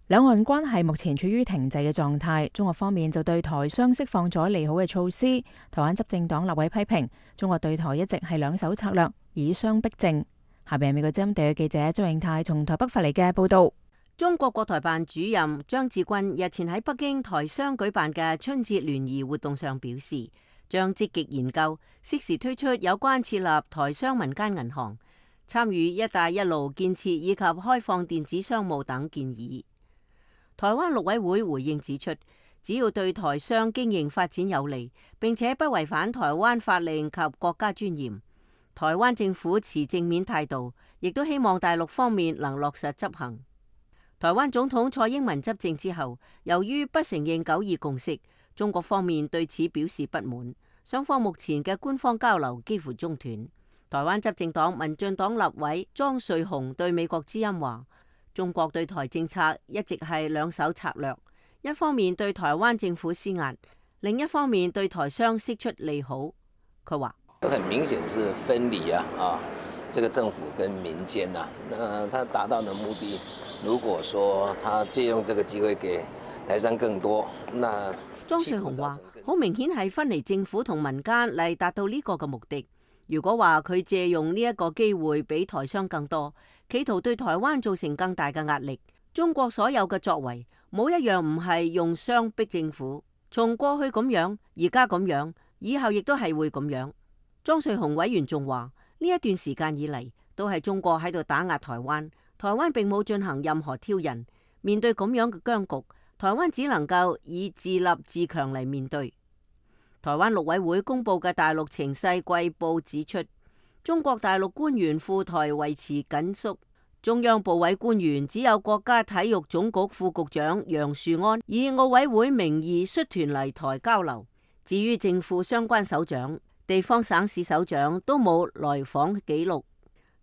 兩岸關係目前處於停滯嘅狀態。中國方面就對台商釋放咗利好嘅措施。台灣執政黨立委批評中國對台一直係兩手策略，以商逼政。下邊係美國之音地嘅記者周永泰從台北發嚟嘅報道。中國國台辦主任張志軍日前喺北京台商舉辦嘅春節聯誼活動上表示，將積極研究適時推出有關設立台商民間銀行、參與一帶一路建設以及開放電子商務等建議。台灣陸委會回應指出，只要對台商經營發展有利，並且不違反台灣法令及國家尊嚴，台灣政府持正面態度，亦都希望大陸方面能落實執行。台灣總統蔡英文執政之後，由於不承認九二共識，中國方面對此表示不滿，雙方目前嘅官方交流幾乎中斷。台灣執政黨民進黨立委莊瑞雄對美國之音話，中國對台政策一直係兩手策略，一方面對台灣政府施壓，另一方面對台商釋出利好。佢話：很明顯是分離啊，啊，這個政府跟民間啊，那他達到的目的，如果說他借用這個機會給台商更多，那莊瑞雄話：好明顯係分離政府同民間嚟達到呢個嘅目的。如果話佢借用呢一個機會俾台商更多，企圖對台灣造成更大嘅壓力，中國所有嘅作為冇一樣唔係用商逼政府。從過去咁樣，而家咁樣，以後亦都係會咁樣。莊瑞雄委員仲話：呢一段時間以嚟，都係中國喺度打壓台灣，台灣並冇進行任何挑釁。面對咁樣嘅僵局，台灣只能夠以自立自強嚟面對。台灣陸委會公布嘅大陸情勢季報指出，中國大陸官員赴台維持緊縮，中央部委官員只有國家體育總局副局長楊樹安以奧委會名義率團嚟台交流。至於政府相關首長、地方省市首長都冇來訪記錄。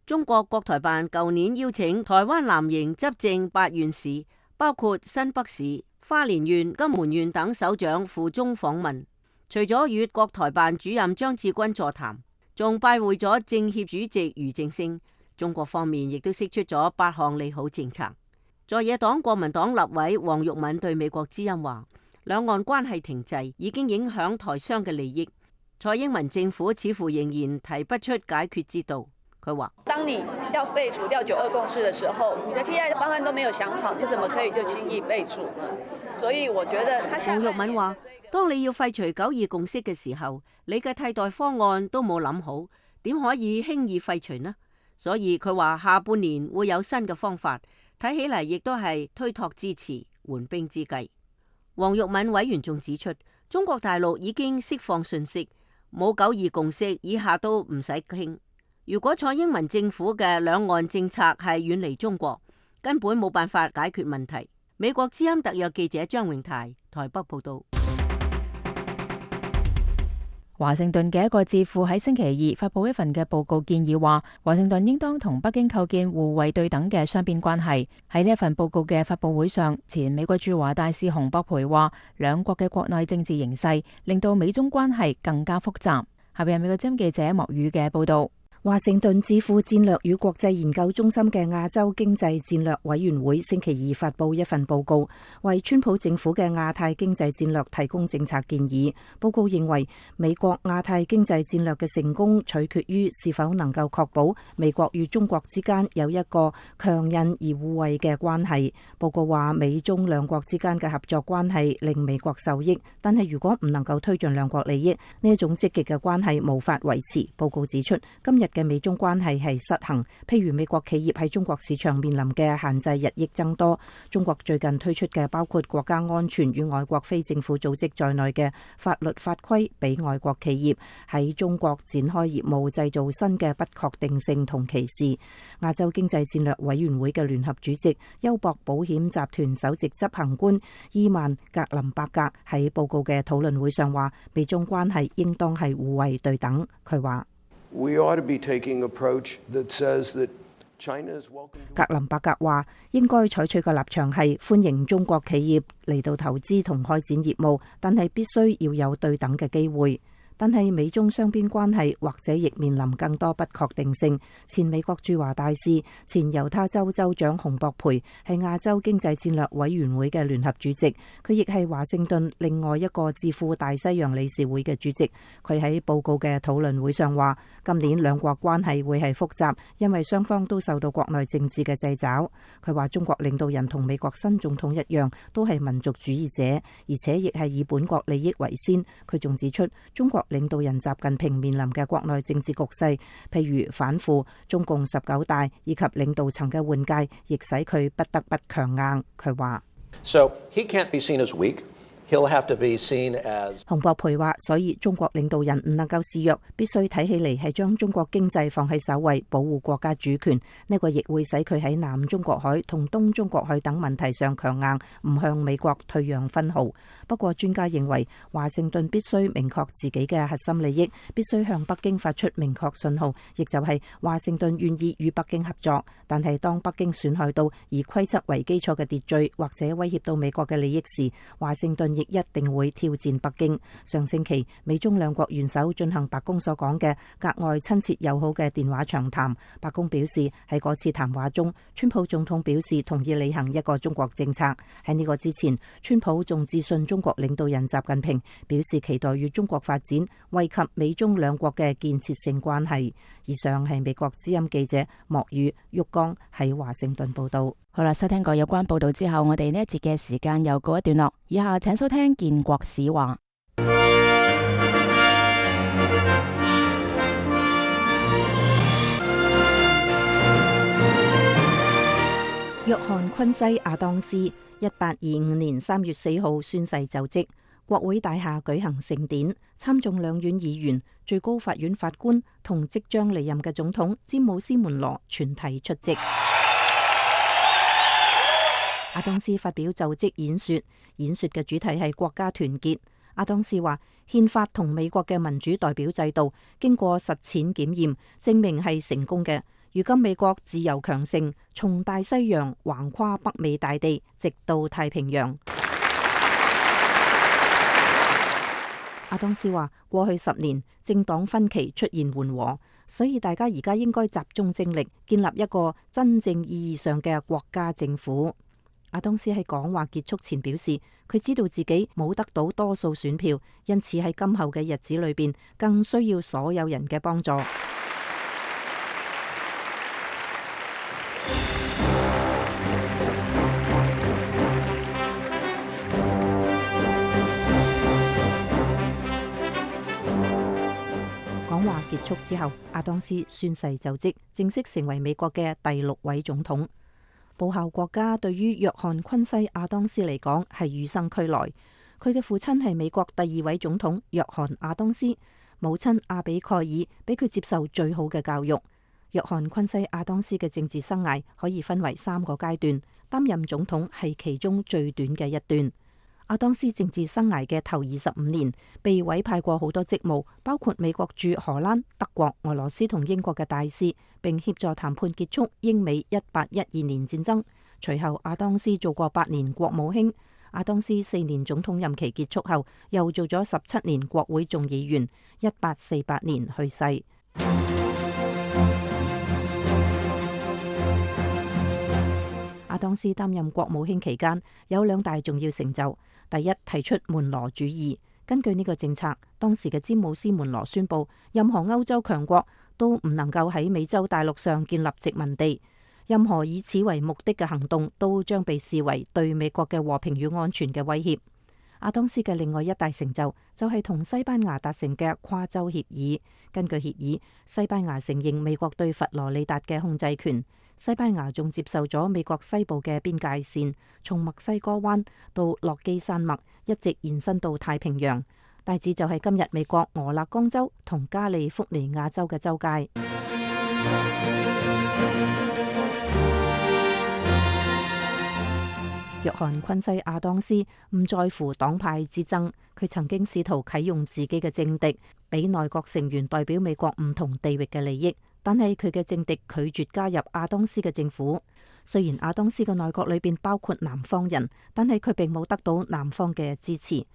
中國國台辦舊年邀請台灣藍營執政八縣市，包括新北市、花蓮縣、金門縣等首長赴中訪問。除咗與國台辦主任張志軍座談，仲拜會咗政協主席俞正聲。中國方面亦都釋出咗八項利好政策。在野黨國民黨立委黃玉敏對美國之音話：兩岸關係停滯已經影響台商嘅利益，蔡英文政府似乎仍然提不出解決之道。佢話：當你要廢除掉九二共識的時候，你的替代方案都沒有想好，你怎麼可以就輕易廢除呢？所以我覺得，黃玉敏話：當你要廢除九二共識嘅時候，你嘅替代方案都冇諗好，點可以輕易廢除呢？所以佢話下半年會有新嘅方法，睇起嚟亦都係推託之詞、緩兵之計。黃玉敏委員仲指出，中國大陸已經釋放訊息，冇九二共識，以下都唔使傾。如果蔡英文政府嘅兩岸政策係遠離中國，根本冇辦法解決問題。美國之音特約記者張榮泰台北報道。華盛頓嘅一個智庫喺星期二發佈一份嘅報告，建議話華盛頓應當同北京構建互惠對等嘅雙邊關係。喺呢一份報告嘅發佈會上，前美國駐華大使洪博培話，兩國嘅國內政治形勢令到美中關係更加複雜。下邊係美國之音記者莫宇嘅報道。華盛頓智庫戰略與國際研究中心嘅亞洲經濟戰略委員會星期二發佈一份報告，為川普政府嘅亞太經濟戰略提供政策建議。報告認為，美國亞太經濟戰略嘅成功取決於是否能夠確保美國與中國之間有一個強韌而互惠嘅關係。報告話，美中兩國之間嘅合作關係令美國受益，但係如果唔能夠推進兩國利益，呢一種積極嘅關係無法維持。報告指出，今日嘅美中關係係失衡，譬如美國企業喺中國市場面臨嘅限制日益增多。中國最近推出嘅包括國家安全與外國非政府組織在內嘅法律法規，俾外國企業喺中國展開業務製造新嘅不確定性同歧視。亞洲經濟戰略委員會嘅聯合主席、優博保險集團首席執行官伊曼格林伯格喺報告嘅討論會上話，美中關係應當係互惠對等。佢話，We ought to be taking an approach that says that China is welcome. 格林伯格話，應該採取嘅立場係歡迎中國企業嚟到投資同開展業務，但係必須要有對等嘅機會。但係美中雙邊關係或者亦面臨更多不確定性。前美國駐華大使、前猶他州州長洪博培係亞洲經濟戰略委員會嘅聯合主席，佢亦係華盛頓另外一個智庫大西洋理事會嘅主席。佢喺報告嘅討論會上話，今年兩國關係會係複雜，因為雙方都受到國內政治嘅掣肘。佢話中國領導人同美國新總統一樣，都係民族主義者，而且亦係以本國利益為先。佢仲指出，中國領導人習近平面臨嘅國內政治局勢，譬如反腐、中共十九大以及領導層嘅換屆，亦使佢不得不強硬。佢話： So he can't be seen as weak. he'll have to be seen as。洪博培話，所以中國領導人唔能夠示弱，必須睇起嚟係將中國經濟放喺首位，保護國家主權。呢個亦會使佢喺南中國海同東中國海等問題上強硬，唔向美國退讓分毫。不過專家認為，華盛頓必須明確自己嘅核心利益，必須向北京發出明確信號，亦就係華盛頓願意與北京合作。但係當北京損害到以規則為基礎嘅秩序，或者威脅到美國嘅利益時，華盛頓亦一定會挑戰北京。上星期，美中兩國元首進行白宮所講嘅格外親切友好嘅電話長談。白宮表示喺嗰次談話中，川普總統表示同意履行一個中國政策。喺呢個之前，川普仲致信中國領導人習近平，表示期待與中國發展，惠及美中兩國嘅建設性關係。以上係美國之音記者莫宇玉剛喺華盛頓報道。好啦，收聽過有關報道之後，我哋呢一節嘅時間又告一段落。以下請收聽建國史話。約翰昆西亞當斯一八二五年三月四號宣誓就職，國會大廈舉行盛典，參眾兩院議員、最高法院法官同即將離任嘅總統詹姆斯門羅全體出席。阿當斯發表就職演說，演說嘅主題係國家團結。阿當斯話，憲法同美國嘅民主代表制度經過實踐檢驗，證明係成功嘅。如今美國自由強盛，從大西洋橫跨北美大地，直到太平洋。阿當斯話，過去十年政黨分歧出現緩和，所以大家而家應該集中精力，建立一個真正意義上嘅國家政府。阿當斯喺講話結束前表示，佢知道自己冇得到多數選票，因此喺今後嘅日子裏邊，更需要所有人嘅幫助。講話結束之後，阿當斯宣誓就職，正式成為美國嘅第六位總統。報效國家對於約翰昆西亞當斯嚟講係與生俱來。佢嘅父親係美國第二位總統約翰亞當斯，母親阿比蓋爾俾佢接受最好嘅教育。約翰昆西亞當斯嘅政治生涯可以分為三個階段，擔任總統係其中最短嘅一段。阿當斯政治生涯嘅頭二十五年，被委派過好多職務，包括美國駐荷蘭、德國、俄羅斯同英國嘅大使，並協助談判結束英美一八一二年戰爭。隨後，阿當斯做過八年國務卿。阿當斯四年總統任期結束後，又做咗十七年國會眾議員。一八四八年去世。阿當斯擔任國務卿期間，有兩大重要成就。第一，提出門羅主義。根據呢個政策，當時嘅詹姆斯門羅宣布，任何歐洲強國都唔能夠喺美洲大陸上建立殖民地，任何以此為目的嘅行動都將被視為對美國嘅和平與安全嘅威脅。阿當斯嘅另外一大成就就係同西班牙達成嘅跨州協議。根據協議，西班牙承認美國對佛羅里達嘅控制權。西班牙仲接受咗美國西部嘅邊界線，從墨西哥灣到落基山脈，一直延伸到太平洋，大致就係今日美國俄勒岡州同加利福尼亞州嘅州界。約翰昆西亞當斯唔在乎黨派之爭，佢曾經試圖啟用自己嘅政敵，俾內閣成員代表美國唔同地域嘅利益。但係佢嘅政敵拒絕加入阿當斯嘅政府。雖然阿當斯嘅內閣裏邊包括南方人，但係佢並冇得到南方嘅支持。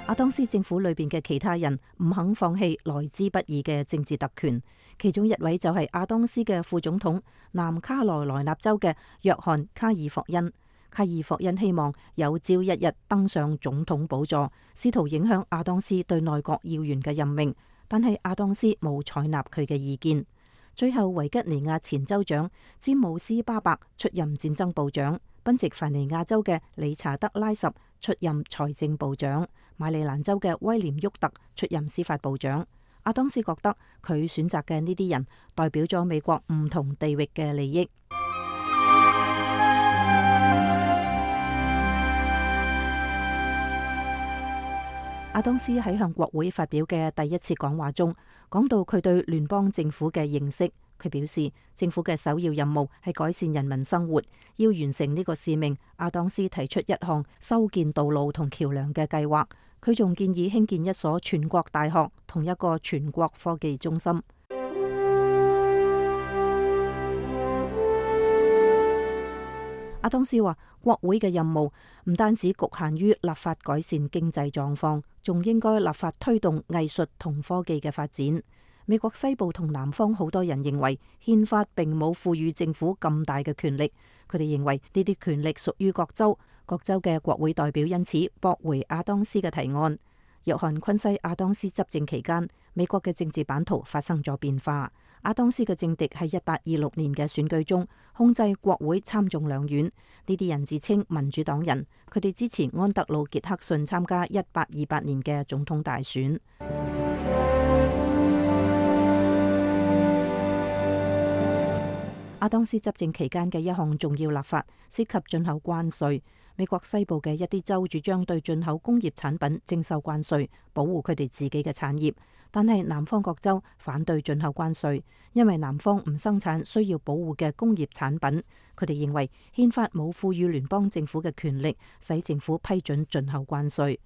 阿當斯政府裏邊嘅其他人唔肯放棄來之不易嘅政治特權，其中一位就係阿當斯嘅副總統南卡羅來納州嘅約翰卡爾霍恩。卡爾霍恩希望有朝一日登上總統寶座，試圖影響阿當斯對內閣要員嘅任命，但係阿當斯冇採納佢嘅意見。最後，維吉尼亞前州長詹姆斯巴伯出任戰爭部長，賓夕凡尼亞州嘅理查德拉什出任財政部長，馬里蘭州嘅威廉沃特出任司法部長。阿當斯覺得佢選擇嘅呢啲人代表咗美國唔同地域嘅利益。阿當斯喺向國會發表嘅第一次講話中，講到佢對聯邦政府嘅認識。佢表示，政府嘅首要任務係改善人民生活。要完成呢個使命，阿當斯提出一項修建道路同橋樑嘅計劃。佢仲建議興建一所全國大學同一個全國科技中心。阿當斯話，國會嘅任務唔單止局限於立法改善經濟狀況，仲應該立法推動藝術同科技嘅發展。美國西部同南方好多人認為憲法並冇賦予政府咁大嘅權力，佢哋認為呢啲權力屬於各州，各州嘅國會代表因此駁回阿當斯嘅提案。約翰昆西阿當斯執政期間，美國嘅政治版圖發生咗變化。阿當斯嘅政敵喺一八二六年嘅選舉中控制國會參眾兩院，呢啲人自稱民主黨人，佢哋支持安德魯傑克遜參加一八二八年嘅總統大選。阿當斯執政期間嘅一項重要立法涉及進口關稅。美國西部嘅一啲州主張對進口工業產品徵收關稅，保護佢哋自己嘅產業。但係南方各州反對進口關稅，因為南方唔生產需要保護嘅工業產品。佢哋認為憲法冇賦予聯邦政府嘅權力，使政府批准進口關稅。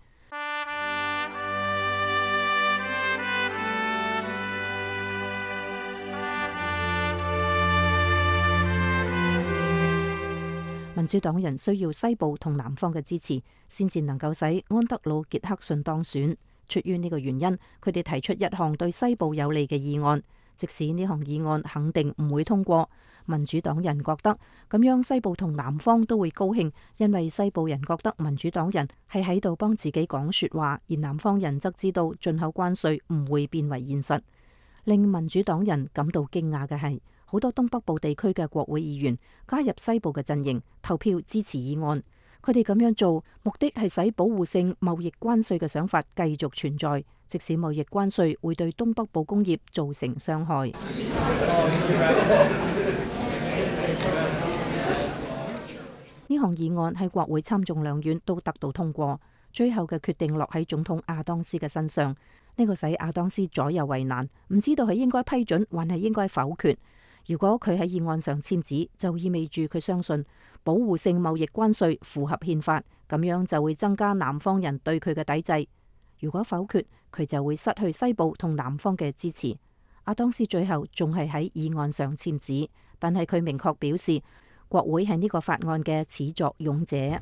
民主黨人需要西部同南方嘅支持，先至能夠使安德魯傑克遜當選。出於呢個原因，佢哋提出一項對西部有利嘅議案。即使呢項議案肯定唔會通過，民主黨人覺得咁樣西部同南方都會高興，因為西部人覺得民主黨人係喺度幫自己講說話，而南方人則知道進口關稅唔會變為現實。令民主黨人感到驚訝嘅係，好多東北部地區嘅國會議員加入西部嘅陣營，投票支持議案。佢哋咁樣做，目的係使保護性貿易關稅嘅想法繼續存在，即使貿易關稅會對東北部工業造成傷害。呢項議案喺國會參眾兩院都得到通過，最後嘅決定落喺總統阿當斯嘅身上。呢個使阿當斯左右為難，唔知道係應該批准還係應該否決。如果佢喺議案上簽字，就意味住佢相信保護性貿易關稅符合憲法，咁樣就會增加南方人對佢嘅抵制。如果否決，佢就會失去西部同南方嘅支持。阿當斯最後仲係喺議案上簽字，但係佢明確表示國會係呢個法案嘅始作俑者。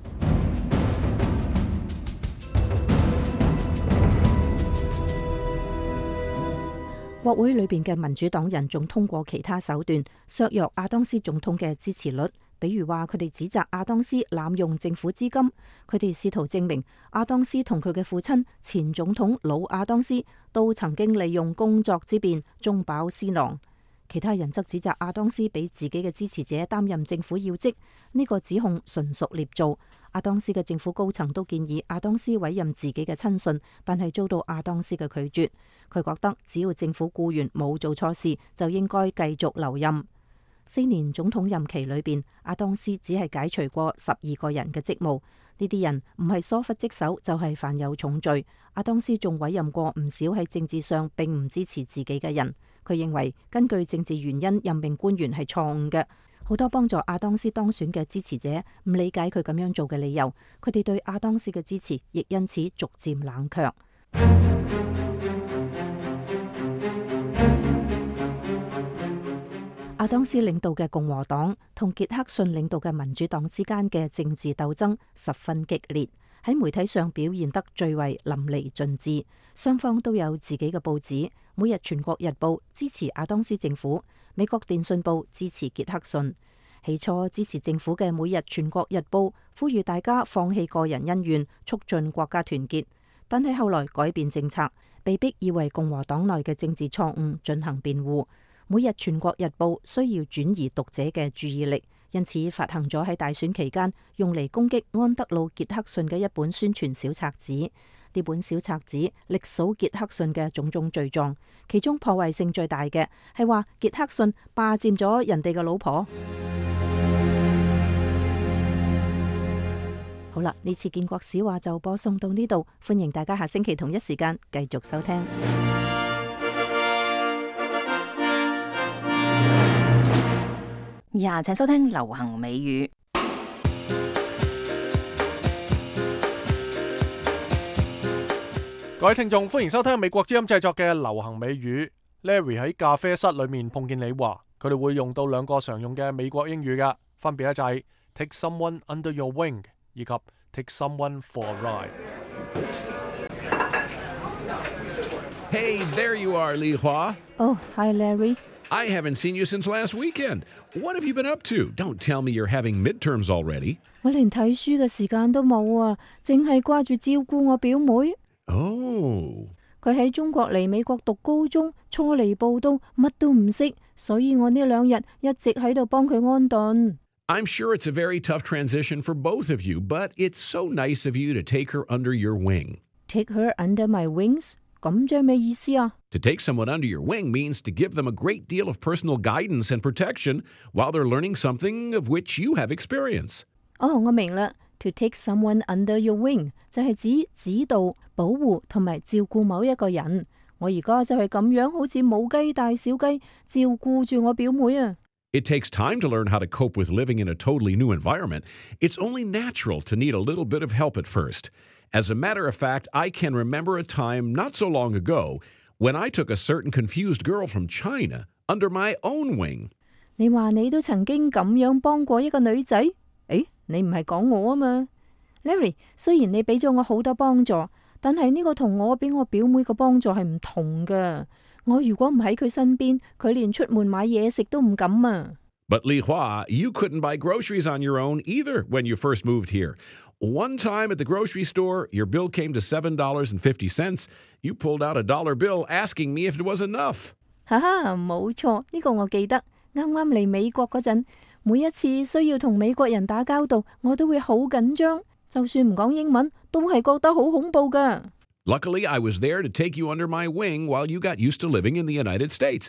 國會裏邊嘅民主黨人仲通過其他手段削弱阿當斯總統嘅支持率，比如話佢哋指責阿當斯濫用政府資金，佢哋試圖證明阿當斯同佢嘅父親前總統老阿當斯都曾經利用工作之便中飽私囊。其他人則指責阿當斯俾自己嘅支持者擔任政府要職，呢個指控純屬捏造。阿當斯嘅政府高層都建議阿當斯委任自己嘅親信，但係遭到阿當斯嘅拒絕。佢覺得只要政府僱員冇做錯事，就應該繼續留任。四年總統任期裏邊，阿當斯只係解除過十二個人嘅職務，呢啲人唔係疏忽職守，就係犯有重罪。阿當斯仲委任過唔少喺政治上並唔支持自己嘅人。佢認為根據政治原因任命官員係錯誤嘅。好多幫助阿當斯當選嘅支持者唔理解佢咁樣做嘅理由，佢哋對阿當斯嘅支持亦因此逐漸冷卻。阿當斯領導嘅共和黨同傑克遜領導嘅民主黨之間嘅政治鬥爭十分激烈，喺媒體上表現得最為淋漓盡致。雙方都有自己嘅報紙，每日全國日報支持阿當斯政府，美國電訊報支持傑克遜。起初支持政府嘅每日全國日報呼籲大家放棄個人恩怨，促進國家團結，但係後來改變政策，被逼要為共和黨內嘅政治錯誤進行辯護。每日全國日報需要轉移讀者嘅注意力，因此發行咗喺大選期間用嚟攻擊安德魯傑克遜嘅一本宣傳小冊子。呢本小冊子歷數傑克遜嘅種種罪狀，其中破壞性最大嘅係話傑克遜霸佔咗人哋嘅老婆。好啦，呢次建國史話就播送到呢度，歡迎大家下星期同一時間繼續收聽。以下請收聽流行美語。各位聽眾，歡迎收聽美國之音製作嘅流行美語。Larry 喺咖啡室裏面碰見你話，佢哋會用到兩個常用嘅美國英語㗎，分別咧就係 take someone under your wing 以及 take someone for a ride。Hey, there you are, Li Hua. Oh, hi, Larry. I haven't seen you since last weekend. What have you been up to? Don't tell me you're having midterms already. 我連睇書嘅時間都冇啊，淨係掛住照顧我表妹。Oh. 佢喺中國嚟美國讀高中，初嚟報到，乜都唔識，所以我呢兩日一直喺度幫佢安頓。I'm sure it's a very tough transition for both of you, but it's so nice of you to take her under your wing. Take her under my wings? 咁即係咩意思啊？ To take someone under your wing means to give them a great deal of personal guidance and protection while they're learning something of which you have experience. 哦，我明啦。To take someone under your wing 就係指指導、保護同埋照顧某一個人。我而家就係咁樣，好似母雞帶小雞，照顧住我表妹啊。It takes time to learn how to cope with living in a totally new environment. It's only natural to need a little bit of help at first. As a matter of fact, I can remember a time not so long ago when I took a certain confused girl from China under my own wing. 你話你都曾經咁樣幫過一個女仔？誒，你唔係講我啊嘛 ？Larry， 雖然你俾咗我好多幫助，但係呢個同我俾我表妹嘅幫助係唔同㗎。我如果唔喺佢身邊，佢連出門買嘢食都唔敢啊。But Li Hua, you couldn't buy groceries on your own either when you first moved here. One time at the grocery store, your bill came to seven dollars and fifty cents. You pulled out a dollar bill asking me if it was enough. 哈哈，冇錯，呢個我記得。啱啱嚟美國嗰陣，每一次需要同美國人打交道，我都會好緊張。就算唔講英文，都係覺得好恐怖㗎。Luckily, I was there to take you under my wing while you got used to living in the United States,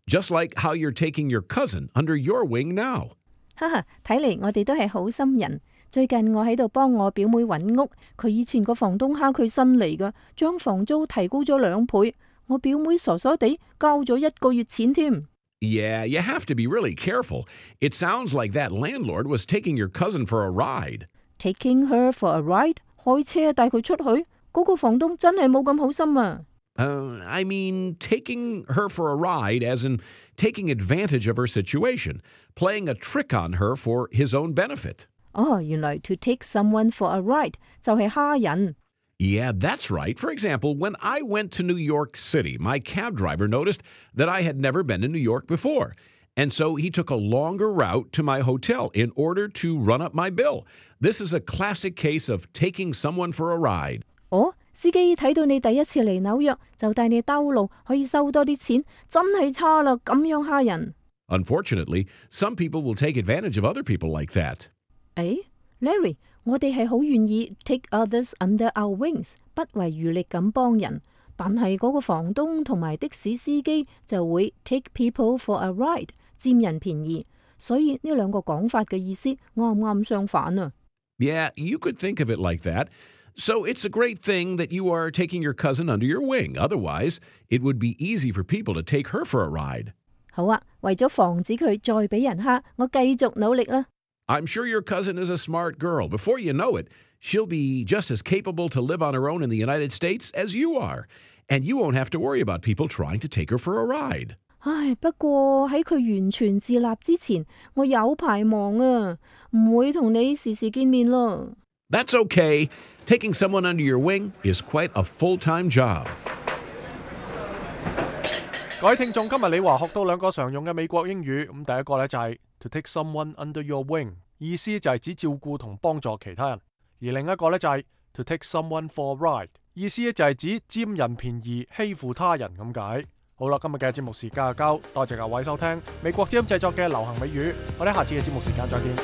just like how you're taking your cousin under your wing now. 哈哈，睇嚟我哋都係好心人。最近我喺度幫我表妹揾屋，佢以前個房東蝦佢新嚟㗎，將房租提高咗兩倍。我表妹傻傻地交咗一個月錢添。Yeah, you have to be really careful. It sounds like that landlord was taking your cousin for a ride. Taking her for a ride? 開車帶佢出去？嗰個房東真係冇咁好心啊。Uh, I mean, taking her for a ride as in taking advantage of her situation, playing a trick on her for his own benefit. 哦，原來 to take someone for a ride 就係蝦人。Yeah, that's right. For example, when I went to New York City, my cab driver noticed that I had never been in New York before. And so he took a longer route to my hotel in order to run up my bill. This is a classic case of taking someone for a ride. 哦，司機睇到你第一次嚟紐約，就帶你兜路，可以收多啲錢，真係差啦！咁樣蝦人。Unfortunately, some people will take advantage of other people like that. 誒 ，Larry， 我哋係好願意 take others under our wings， 不遺餘力咁幫人，但係嗰個房東同埋的士司機就會 take people for a ride， 佔人便宜。所以呢兩個講法嘅意思啱唔啱相反啊 ？Yeah, you could think of it like that. So it's a great thing that you are taking your cousin under your wing. Otherwise, it would be easy for people to take her for a ride. 好啊，為咗防止佢再俾人蝦，我繼續努力啦。I'm sure your cousin is a smart girl. Before you know it, she'll be just as capable to live on her own in the United States as you are. And you won't have to worry about people trying to take her for a ride. 唉，不過喺佢完全自立之前，我有排忙啊，唔會同你時時見面咯。That's okay. Taking someone under your wing is quite a full-time job. 各位聽眾，今日你話學到兩個常用嘅美國英語，咁第一個呢就係 to take someone under your wing， 意思就係指照顧同幫助其他人；而另一個呢就係 to take someone for a ride， 意思就係指佔人便宜、欺負他人咁解。好啦，今日嘅節目時間就夠，多謝各位收聽美國之音製作嘅流行美語，我哋下次嘅節目時間再見。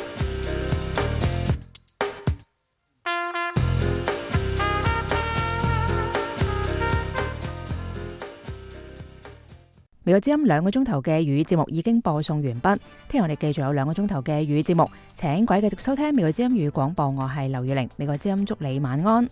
美國之音兩個鐘頭嘅粵語節目已經播送完畢，聽日我哋繼續有兩個鐘頭嘅粵語節目，請各位繼續收聽美國之音粵語廣播，我係劉月玲，美國之音祝你晚安。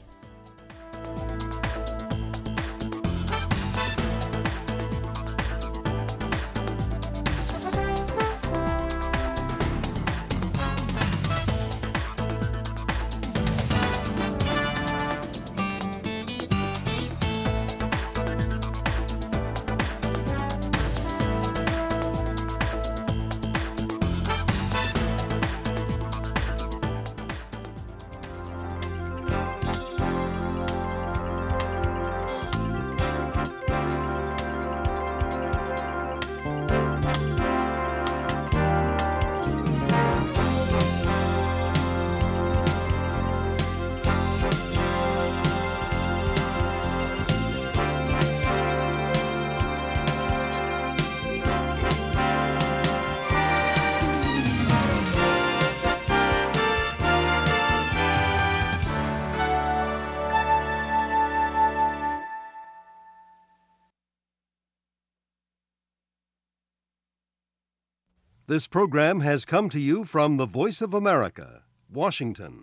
This program has come to you from the Voice of America, Washington.